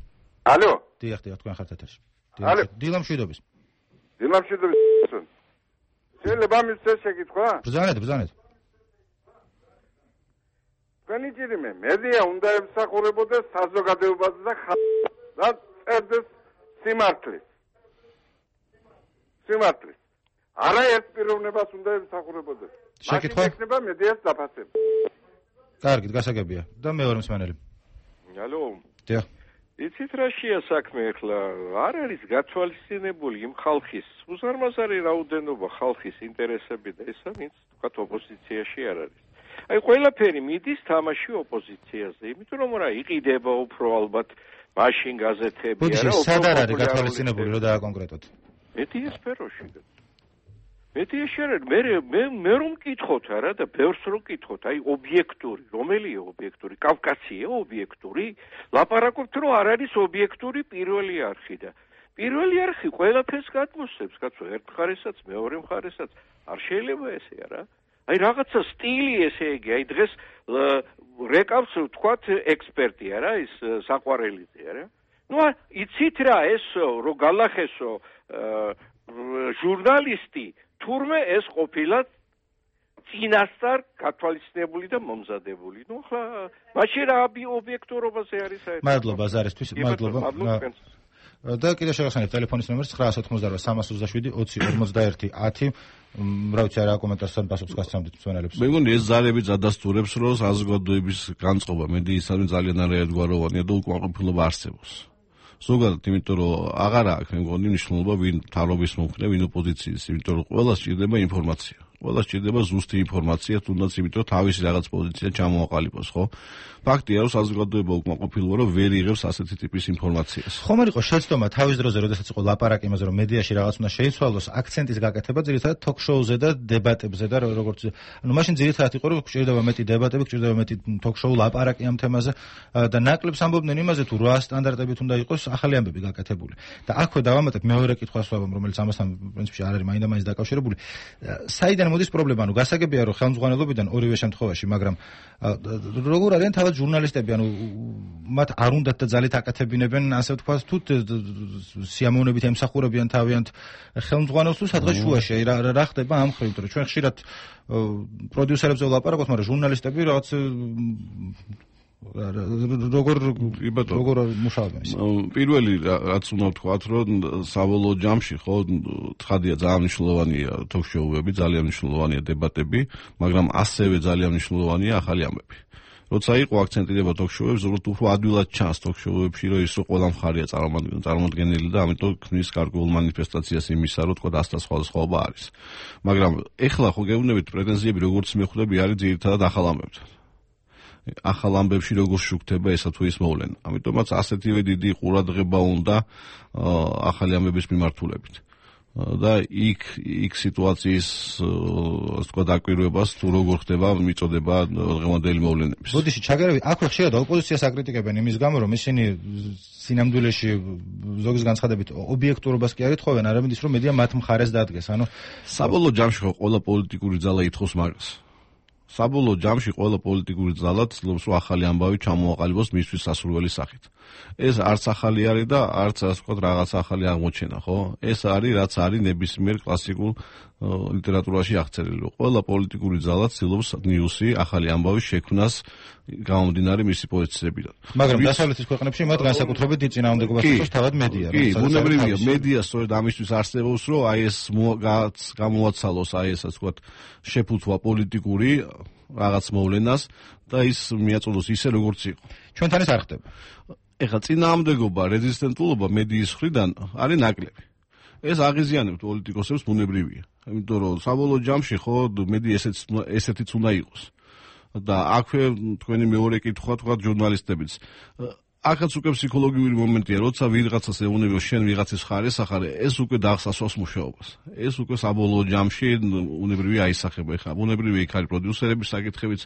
S6: ალო.
S1: დიახ, თქვენ ხართ ეთერში.
S6: ალო.
S1: დილა მშვიდობის.
S6: დილა მშვიდობის. შეიძლება მისცეს შეკითხვა?
S1: ბრძანეთ.
S6: თქვენი ჭირიმე, მედია უნდა ემსახურებოდეს საზოგადოებაზე და და წერდეს სიმართლის. არაერთ პიროვნებას უნდა ემსახურებოდეს.
S1: შეკითხვა?
S6: იქნება მედიას დაფასება.
S1: კარგი, გასაგებია. და მეორე მსმენელი.
S8: ალო.
S1: დიახ.
S8: იცით რა შეა საქმე ახლა? არ არის გათვალისწინებული იმ ხალხის უზარმაზარი რაოდენობა ხალხის ინტერესები და ესა ვინც თქვათ ოპოზიციაში არ არის. აი ყველაფერი მიდის თამაში ოპოზიციაზე, იმიტომ რომ რა იყიდება უფრო ალბათ მაშინ გაზეთები არა
S1: ოპოზიცია სად არის გათვალისწინებული რომ დააკონკრეტოთ?
S8: მედია სფეროში. მედიაში არ მე რომ მკითხოთ არა და ბევრს რომ მკითხოთ, აი ობიექტური, რომელია ობიექტური? კავკასია ობიექტური? ლაპარაკობთ რომ არ არის ობიექტური პირველი არხი და პირველი არხი ყველაფერს გადმოსცემს, კაცო, ერთ მხარესაც, მეორე მხარესაც. არ შეიძლება ესე არა? აი რაღაცა სტილი ესე იგი, აი დღეს რეკავს თქვათ ექსპერტი არა, ის საყვარელიძე არა? ნუ იცით რა ესო, რომ გალახესო ჟურნალისტი თურმე ეს ყოფილა წინასწარ გათვალისწინებული და მომზადებული. ნუ ახლა მაშინ რა ობიექტურობაზე არის საერთოდ?
S1: მადლობა ზარისთვის, მადლობა. და კიდევ შევახსენებ ტელეფონის ნომერს 988 327 20 51 10. რა ვიცი რა კომენტარსთან პასუხს გასცემთ მსმენელებს.
S3: მე მგონი ეს ზარები ზადასტურებს, რომ საზოგადოების განწყობა მედიისადმი ძალიან არაერთგვაროვანია და უკმაყოფილება არსებობს. ზოგადად, იმიტომ რომ აღარ აქვს მე მგონი მნიშვნელობა ვინ თავრობის მომხრე, ვინ ოპოზიციის, იმიტომ რომ ყველას სჭირდება ინფორმაცია. ყველას სჭირდება ზუსტი ინფორმაცია, თუნდაც იმიტომ რომ თავისი რაღაც პოზიცია ჩამოაყალიბოს, ხო? ფაქტია, რომ საზოგადოება უკმაყოფილება, რომ ვერ იღებს ასეთი ტიპის ინფორმაციას.
S1: ხომ არ იყო შეცდომა თავის დროზე, როდესაც იყო ლაპარაკი იმაზე, რომ მედიაში რაღაც უნდა შეიცვალოს, აქცენტის გაკეთება ძირითადად თოქ-შოუზე და დებატებზე და როგორც ანუ მაშინ ძირითადად იყო, რომ გჭირდება მეტი დებატები, გჭირდება მეტი თოქ-შოუ ლაპარაკი ამ თემაზე და ნაკლებს ამბობდნენ იმაზე, თუ რა სტანდარტებით უნდა იყოს ახალი ამბები გაკეთებული. და აქვე დავამატებ მეორე კითხვას ვაბამ, რომელიც ამასთან პრინციპში არ არის მაინდა-მაინც დაკავშირებული. საიდან მოდის პრობლემა, ანუ გასაგებია, რომ ხელმძღვანელობიდან ორივე შემთხვევაში, მაგრამ როგორ არიან თავად ჟურნალისტები, ანუ მათ არ უნდათ და ძალით აკეთებინებენ, ასე ვთქვათ, თუ სიამოვნებით ემსახურებიან თავიანთ ხელმძღვანელს თუ სადღაც შუაში, რა ხდება ამ მხრივ, რომ ჩვენ ხშირად პროდიუსერებზე ვლაპარაკობთ, მაგრამ ჟურნალისტები რაღაც როგორ მუშაობენ ის?
S3: პირველი რაც უნდა ვთქვათ, რომ საბოლოო ჯამში ხო თხადია ძალიან მნიშვნელოვანია თოქ-შოუები, ძალიან მნიშვნელოვანია დებატები, მაგრამ ასევე ძალიან მნიშვნელოვანია ახალი ამბები. როცა იყო აქცენტირება თოქ-შოუებს, ზოგადად უფრო ადვილად ჩანს თოქ-შოუებში, რომ ის ყველა მხარეა წარმოადგენელი და ამიტომ ქმნის გარკვეულ მანიფესტაციას იმისა, რომ თქვა ასთა სხვადასხვაობა არის. მაგრამ ეხლა ხო გეუბნებით პრეტენზიები როგორც მე ხვდები არის ძირითადად ახალ ამბებთან. ახალ ამბებში როგორ შუქდება ესა თუ ის მოვლენა. ამიტომაც ასეთივე დიდი ყურადღება უნდა ახალი ამბების მიმართულებით. და იქ სიტუაციის ასე თქვა დაკვირვებას თუ როგორ ხდება მიწოდება დღევანდელი მოვლენების.
S1: ბოდიში ჩაგერები აქვე ხშირად ოპოზიციას აკრიტიკებენ იმის გამო, რომ ისინი სინამდვილეში ზოგის განცხადებით ობიექტურობას კი არ ეთხოვენ, არამედ ის რომ მედია მათ მხარეს დადგეს. ანუ
S3: საბოლოო ჯამში ხო ყველა პოლიტიკური ძალა ითხოვს მაგას. საბოლოო ჯამში ყველა პოლიტიკური ძალა ცდილობს, რომ ახალი ამბავი ჩამოაყალიბოს მისთვის სასურველი სახით. ეს არც ახალი არის და არც ასე ვთქვათ რაღაც ახალი აღმოჩენა, ხო? ეს არის რაც არის ნებისმიერ კლასიკურ ლიტერატურაში აღწერილი. ყველა პოლიტიკური ძალა ცდილობს ნიუსი, ახალი ამბავის შექმნას გამომდინარე მისი პოზიციებიდან.
S1: მაგრამ დასავლეთის ქვეყნებში მათ განსაკუთრებით წინააღმდეგობას იწვევს თავად მედია.
S3: კი, ბუნებრივია, მედია სწორედ ამისთვის არსებობს, რომ აი ეს გამოაცალოს აი ეს ასე ვთქვათ შეფუთვა პოლიტიკური რაღაც მოვლენას და ის მიაწოდოს ისე როგორც იყო.
S1: ჩვენთან ეს არ ხდება.
S3: ეხლა წინააღმდეგობა, რეზისტენტულობა მედიის მხრიდან არის ნაკლები. ეს აღიზიანებთ პოლიტიკოსებს ბუნებრივია. იმიტომ რომ საბოლოო ჯამში ხო მედია ესეთიც უნდა იყოს. და აქვე თქვენი მეორე კითხვა თქვა ჟურნალისტებიც. აქაც უკვე ფსიქოლოგიური მომენტია, როცა ვიღაცას ეუბნება შენ ვიღაცის ხარეს ახარე, ეს უკვე დაახსასვას მუშაობას. ეს უკვე საბოლოო ჯამში უნებრივია აისახება. ეხლა უნებრივია იქ არის პროდიუსერების საკითხებიც,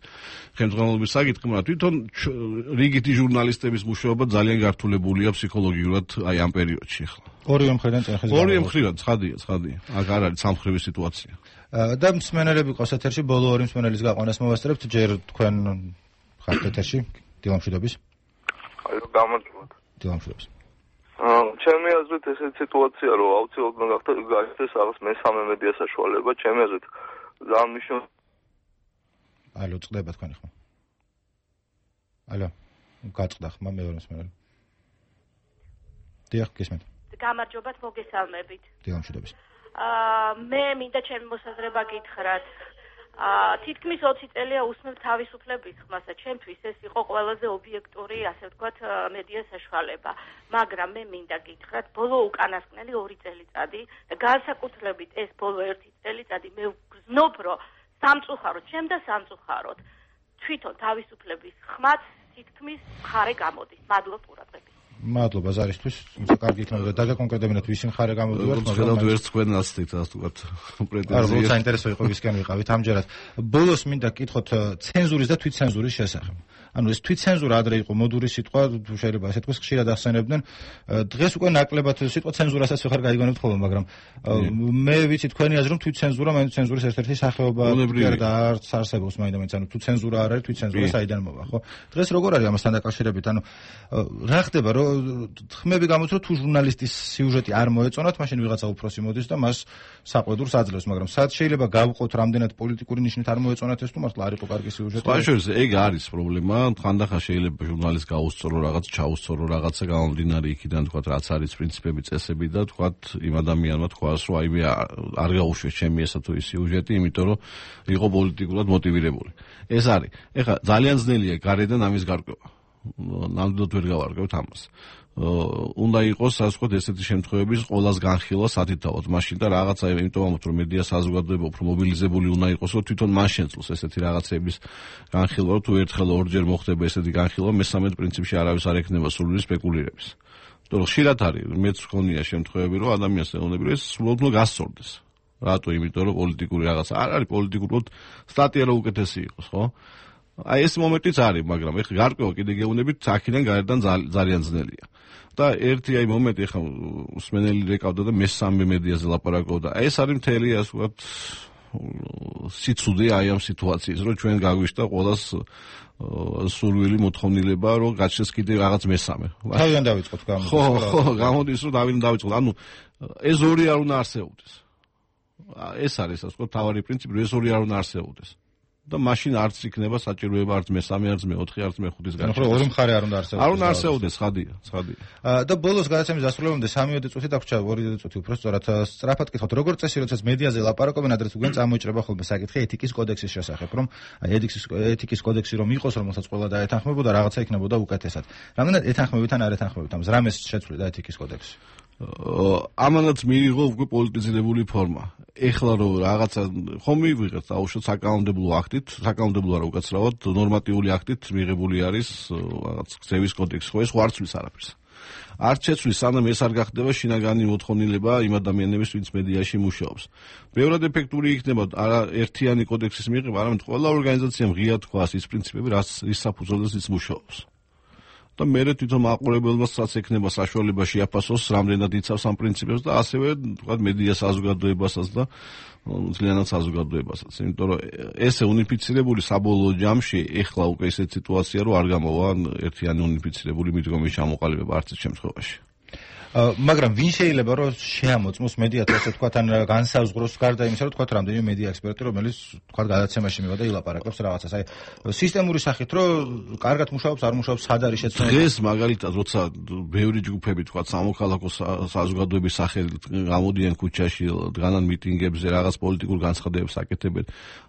S3: ხელმძღვანელობის საკითხი, მაგრამ თვითონ რიგითი ჟურნალისტების მუშაობა ძალიან გართულებულია ფსიქოლოგიურად აი ამ პერიოდში ახლა.
S1: ორივე მხრიდან წეხის.
S3: ორივე მხრიდან ცხადია. აქ არ არის სამხრივი სიტუაცია.
S1: და მსმენელები ყავს ეთერში, ბოლო ორი მსმენელის გაყვანას მოვასწრებთ, ჯერ თქვენ ხართ ეთერში, დილამშვიდობის.
S7: გამარჯობა.
S1: დილამშვიდობის.
S7: ჩემი აზრით ესეთი სიტუაცია, რომ აუცილებლად გაიხდეს რაღაც მესამე მედია საშუალება, ჩემი აზრით ძალიან მნიშვნელოვანი.
S1: ალო, წდება თქვენი ხმა. ალო, გაწყდა ხმა მეორე მსმენელი. დიახ, გესმენთ.
S9: გამარჯობათ, მოგესალმებით.
S1: დილამშვიდობის.
S9: მე მინდა ჩემი მოსაზრება გითხრათ. თითქმის 20 წელია უსმევ თავისუფლების ხმასა. ჩემთვის ეს იყო ყველაზე ობიექტური, ასე ვთქვათ, მედია საშუალება. მაგრამ მე მინდა გითხრათ, ბოლო უკანასკნელი 2 წელიწადი და განსაკუთრებით ეს ბოლო 1 წელიწადი მე ვგრძნობ, რომ სამწუხაროდ, ჩემ და სამწუხაროდ თვითონ თავისუფლების ხმაც თითქმის მხარე გამოდის. მადლობ ყურადღებით.
S1: მადლობა ზარისთვის, თუმცა კარგი იქნება დაგაკონკრეტებინოთ ვისი მხარე გამოდივართ,
S3: მაგრამ ვერც თქვენას თით ასე ვთქვათ პრეტენზიები.
S1: არა, საინტერესო იყო ვისკენ ვიყავით ამჯერად. ბოლოს მინდა გითხოთ ცენზურის და თვითცენზურის შესახებ. ანუ ეს თვითცენზურა ადრე იყო მოდური სიტყვა, შეიძლება ასე თქვას ხშირად ახსენებდნენ. დღეს უკვე ნაკლებად სიტყვა ცენზურასაც ვეღარ გაიგონებთ ხოლმე, მაგრამ მე ვიცი თქვენი აზრი, რომ თვითცენზურა მაინც ცენზურის ერთ-ერთი სახეობა და არც არსებობს მაინც, ანუ თუ ცენზურა არ არის, თვითცენზურა საიდან მოვა, ხო? დღეს როგორ არის ამასთან დაკავშირებით? ანუ რა ხდება, რომ ხმები გამოც რომ თუ ჟურნალისტის სიუჟეტი არ მოეწონათ, მაშინ ვიღაცა უფროსი მოდის და მას საყვედურს აძლევს, მაგრამ სად შეიძლება გავყოთ რამდენად პოლიტიკური ნიშნით არ მოეწონათ ეს თუ მართლა არ იყო კარგი სიუჟეტი?
S3: სპეციალიზ ეგ არის პრობლემა, ხანდახან შეიძლება ჟურნალისტს გაუსწორო რაღაც, ჩაუსწორო რაღაცა გამომდინარე იქიდან თქვა რაც არის პრინციპები, წესები და თქვა იმ ადამიანმა თქვას რომ აი მე არ გაუშვეს ჩემი ესა თუ ის სიუჟეტი, იმიტომ რომ იყო პოლიტიკურად მოტივირებული. ეს არის. ეხლა ძალიან ძნელია გარედან ამის გარკვევა. ნამდვილად ვერ გავარკვევთ ამას. უნდა იყოს ასე ვთქვათ ესეთი შემთხვევების ყოველას განხილვა სათითაოდ მაშინ და რაღაცა იმიტომ რომ მედია საზოგადოება უფრო მობილიზებული უნდა იყოს რომ თვითონ მან შეძლოს ესეთი რაღაცების განხილვა რომ თუ ერთხელ ორჯერ მოხდება ესეთი განხილვა მესამედ პრინციპში არავის არ ექნება სრული სპეკულირების. იმიტომ რომ ხშირად არის მეც ხონია შემთხვევები რომ ადამიანს ეუბნები რომ ეს სრულად უნდა გასწორდეს. რატო? იმიტომ რომ პოლიტიკური რაღაცა არ არის პოლიტიკურად სტატია რო უკეთესი იყოს, ხო? აი ეს მომენტიც არის, მაგრამ ეხლა გარკვევა კიდე გეუბნებით აქედან გარედან ძალიან ძნელია. და ერთი აი მომენტი ეხლა მსმენელი რეკავდა და მესამე მედიაზე ლაპარაკობდა. აი ეს არის მთელი ასე ვთქვათ სიცუდე აი ამ სიტუაციის, რომ ჩვენ გაგვიშთა ყოველას სურვილი მოთხოვნილება, რომ გაჩნდეს კიდე რაღაც მესამე.
S1: თავიდან დავიწყოთ გამოდის.
S3: ხო, გამოდის რომ დავიდან დავიწყოთ. ანუ ეს ორი არ უნდა არსებობდეს. ეს არის ასე ვთქვათ თავარი პრინციპი, რომ ეს ორი არ უნდა არსებობდეს. და მაშინ არც იქნება საჭიროება არც მესამე, არც მეოთხე, არც მეხუთის
S1: განხილვა. ორი მხარე არ უნდა არსებობდეს.
S3: არ უნდა არსებობდეს, ცხადია.
S1: და ბოლოს გადაცემის დასრულებამდე 3 წუთი დაგვრჩა, 2 წუთი უფრო სწორად სწრაფად გითხოთ, როგორ წესი, როდესაც მედიაზე ლაპარაკობენ, ადრეს უგენ წამოიჭრება ხოლმე საკითხი ეთიკის კოდექსის შესახებ, რომ ეთიკის კოდექსი რომ იყოს, რომელსაც ყველა დაეთანხმებოდა, რაღაცა იქნებოდა უკეთესად. რამდენად ეთანხმებით ან არ ეთანხმებით ამას? რამეს შეცვლიდა ეთიკის კოდექსი?
S3: ამანაც მიიღო უკვე პოლიტიზირებული ფორმა. ეხლა რომ რაღაცა ხომ მივიღეთ აუშვეთ საკანონმდებლო აქტით, საკანონმდებლო არა უკაცრავად ნორმატიული აქტით მიღებული არის რაღაც გზების კოდექსი, ხო ეს ხო არ ცვლის არაფერს. არ შეცვლის, სანამ ეს არ გახდება შინაგანი მოთხოვნილება იმ ადამიანების, ვინც მედიაში მუშაობს. ბევრად ეფექტური იქნება არა ერთიანი კოდექსის მიღება, არამედ ყველა ორგანიზაციამ ღია თქვას ის პრინციპები, რის საფუძველზეც ის მუშაობს. და მე თვითონ მაყურებელსაც ექნება საშუალება შეაფასოს რამდენად იცავს ამ პრინციპებს და ასევე თქვა მედია საზოგადოებასაც და ძალიანაც საზოგადოებასაც. იმიტომ რომ ესე უნიფიცირებული საბოლოო ჯამში ეხლა უკვე ესეთ სიტუაცია რომ არ გამოვა ერთიანი უნიფიცირებული მიდგომის ჩამოყალიბება არც ერთ შემთხვევაში.
S1: მაგრამ ვინ შეიძლება რომ შეამოწმოს მედიას ასე თქვა თან განსაზღვროს გარდა იმისა რომ თქვა რამდენიმე მედია ექსპერტი რომელიც თქვა გადაცემაში მივა და ილაპარაკებს რაღაცას აი სისტემური სახით რომ კარგად მუშაობს არ მუშაობს სად არის შეცდომა
S3: დღეს მაგალითად როცა ბევრი ჯგუფები თქვა სამოქალაქო საზოგადოების სახელით გამოდიან ქუჩაში დგანან მიტინგებზე რაღაც პოლიტიკურ განცხადებებს აკეთებენ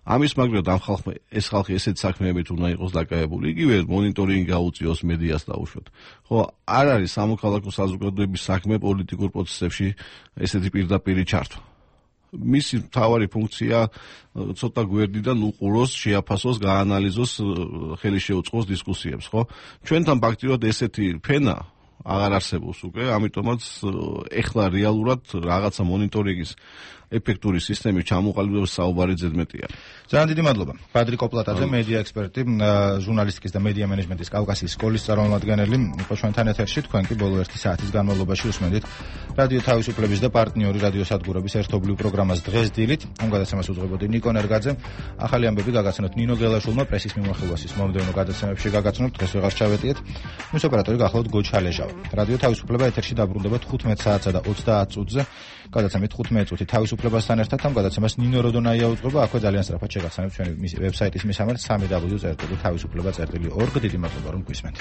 S3: ამის მაგრამ ამ ხალხმა ეს ხალხი ესეთ საქმეებით უნდა იყოს დაკავებული იგივე მონიტორინგი გაუწიოს მედიას დაუშვათ ხო არ არის სამოქალაქო საზოგადოების საქმე პოლიტიკურ პროცესებში ესეთი პირდაპირი ჩართვა. მისი მთავარი ფუნქცია ცოტა გვერდიდან უყუროს, შეაფასოს, გაანალიზოს, ხელი შეუწყოს დისკუსიებს, ხო? ჩვენთან ფაქტიურად ესეთი ფენა აღარ არსებობს უკვე, ამიტომაც ეხლა რეალურად რაღაცა მონიტორინგის ეფექტური სისტემის ჩამოყალიბების საუბარი ზედმეტია.
S1: ძალიან დიდი მადლობა. პატრიკ ოპლატაძე, მედია ექსპერტი, ჟურნალისტიკის და მედია მენეჯმენტის კავკასიის სკოლის წარმომადგენელი, იყო ჩვენთან ეთერში. თქვენ კი ბოლო 1 საათის განმავლობაში უსმენთ რადიო თავისუფლების და პარტნიორი რადიო სადგურების ერთობლივ პროგრამას დღეს დილით. ამ გადაცემას უძღვებოდი ნიკო ნერგაძე. ახალი ამბები გაგაცნოთ ნინო გელაშვილმა პრესის მიმოხილვასის მომდევნო გადაცემებში გაგაცნოთ. დღეს ვეღარ ჩავეტიეთ. მის ოპერატორი გახლავთ გოჩალეჟავი. რადიო თავისუფლება ეთერში დაბრუნდება 15 საათსა და 30 წუთზე. გადაცემით 15 წუთი თავისუფლებასთან ერთად ამ გადაცემას ნინო როდონაია უძღვება. აქვე ძალიან სწრაფად შეგახსენებთ ჩვენი ვებსაიტის მისამართს www.თავისუფლება.org. დიდი მადლობა რომ გვისმენთ.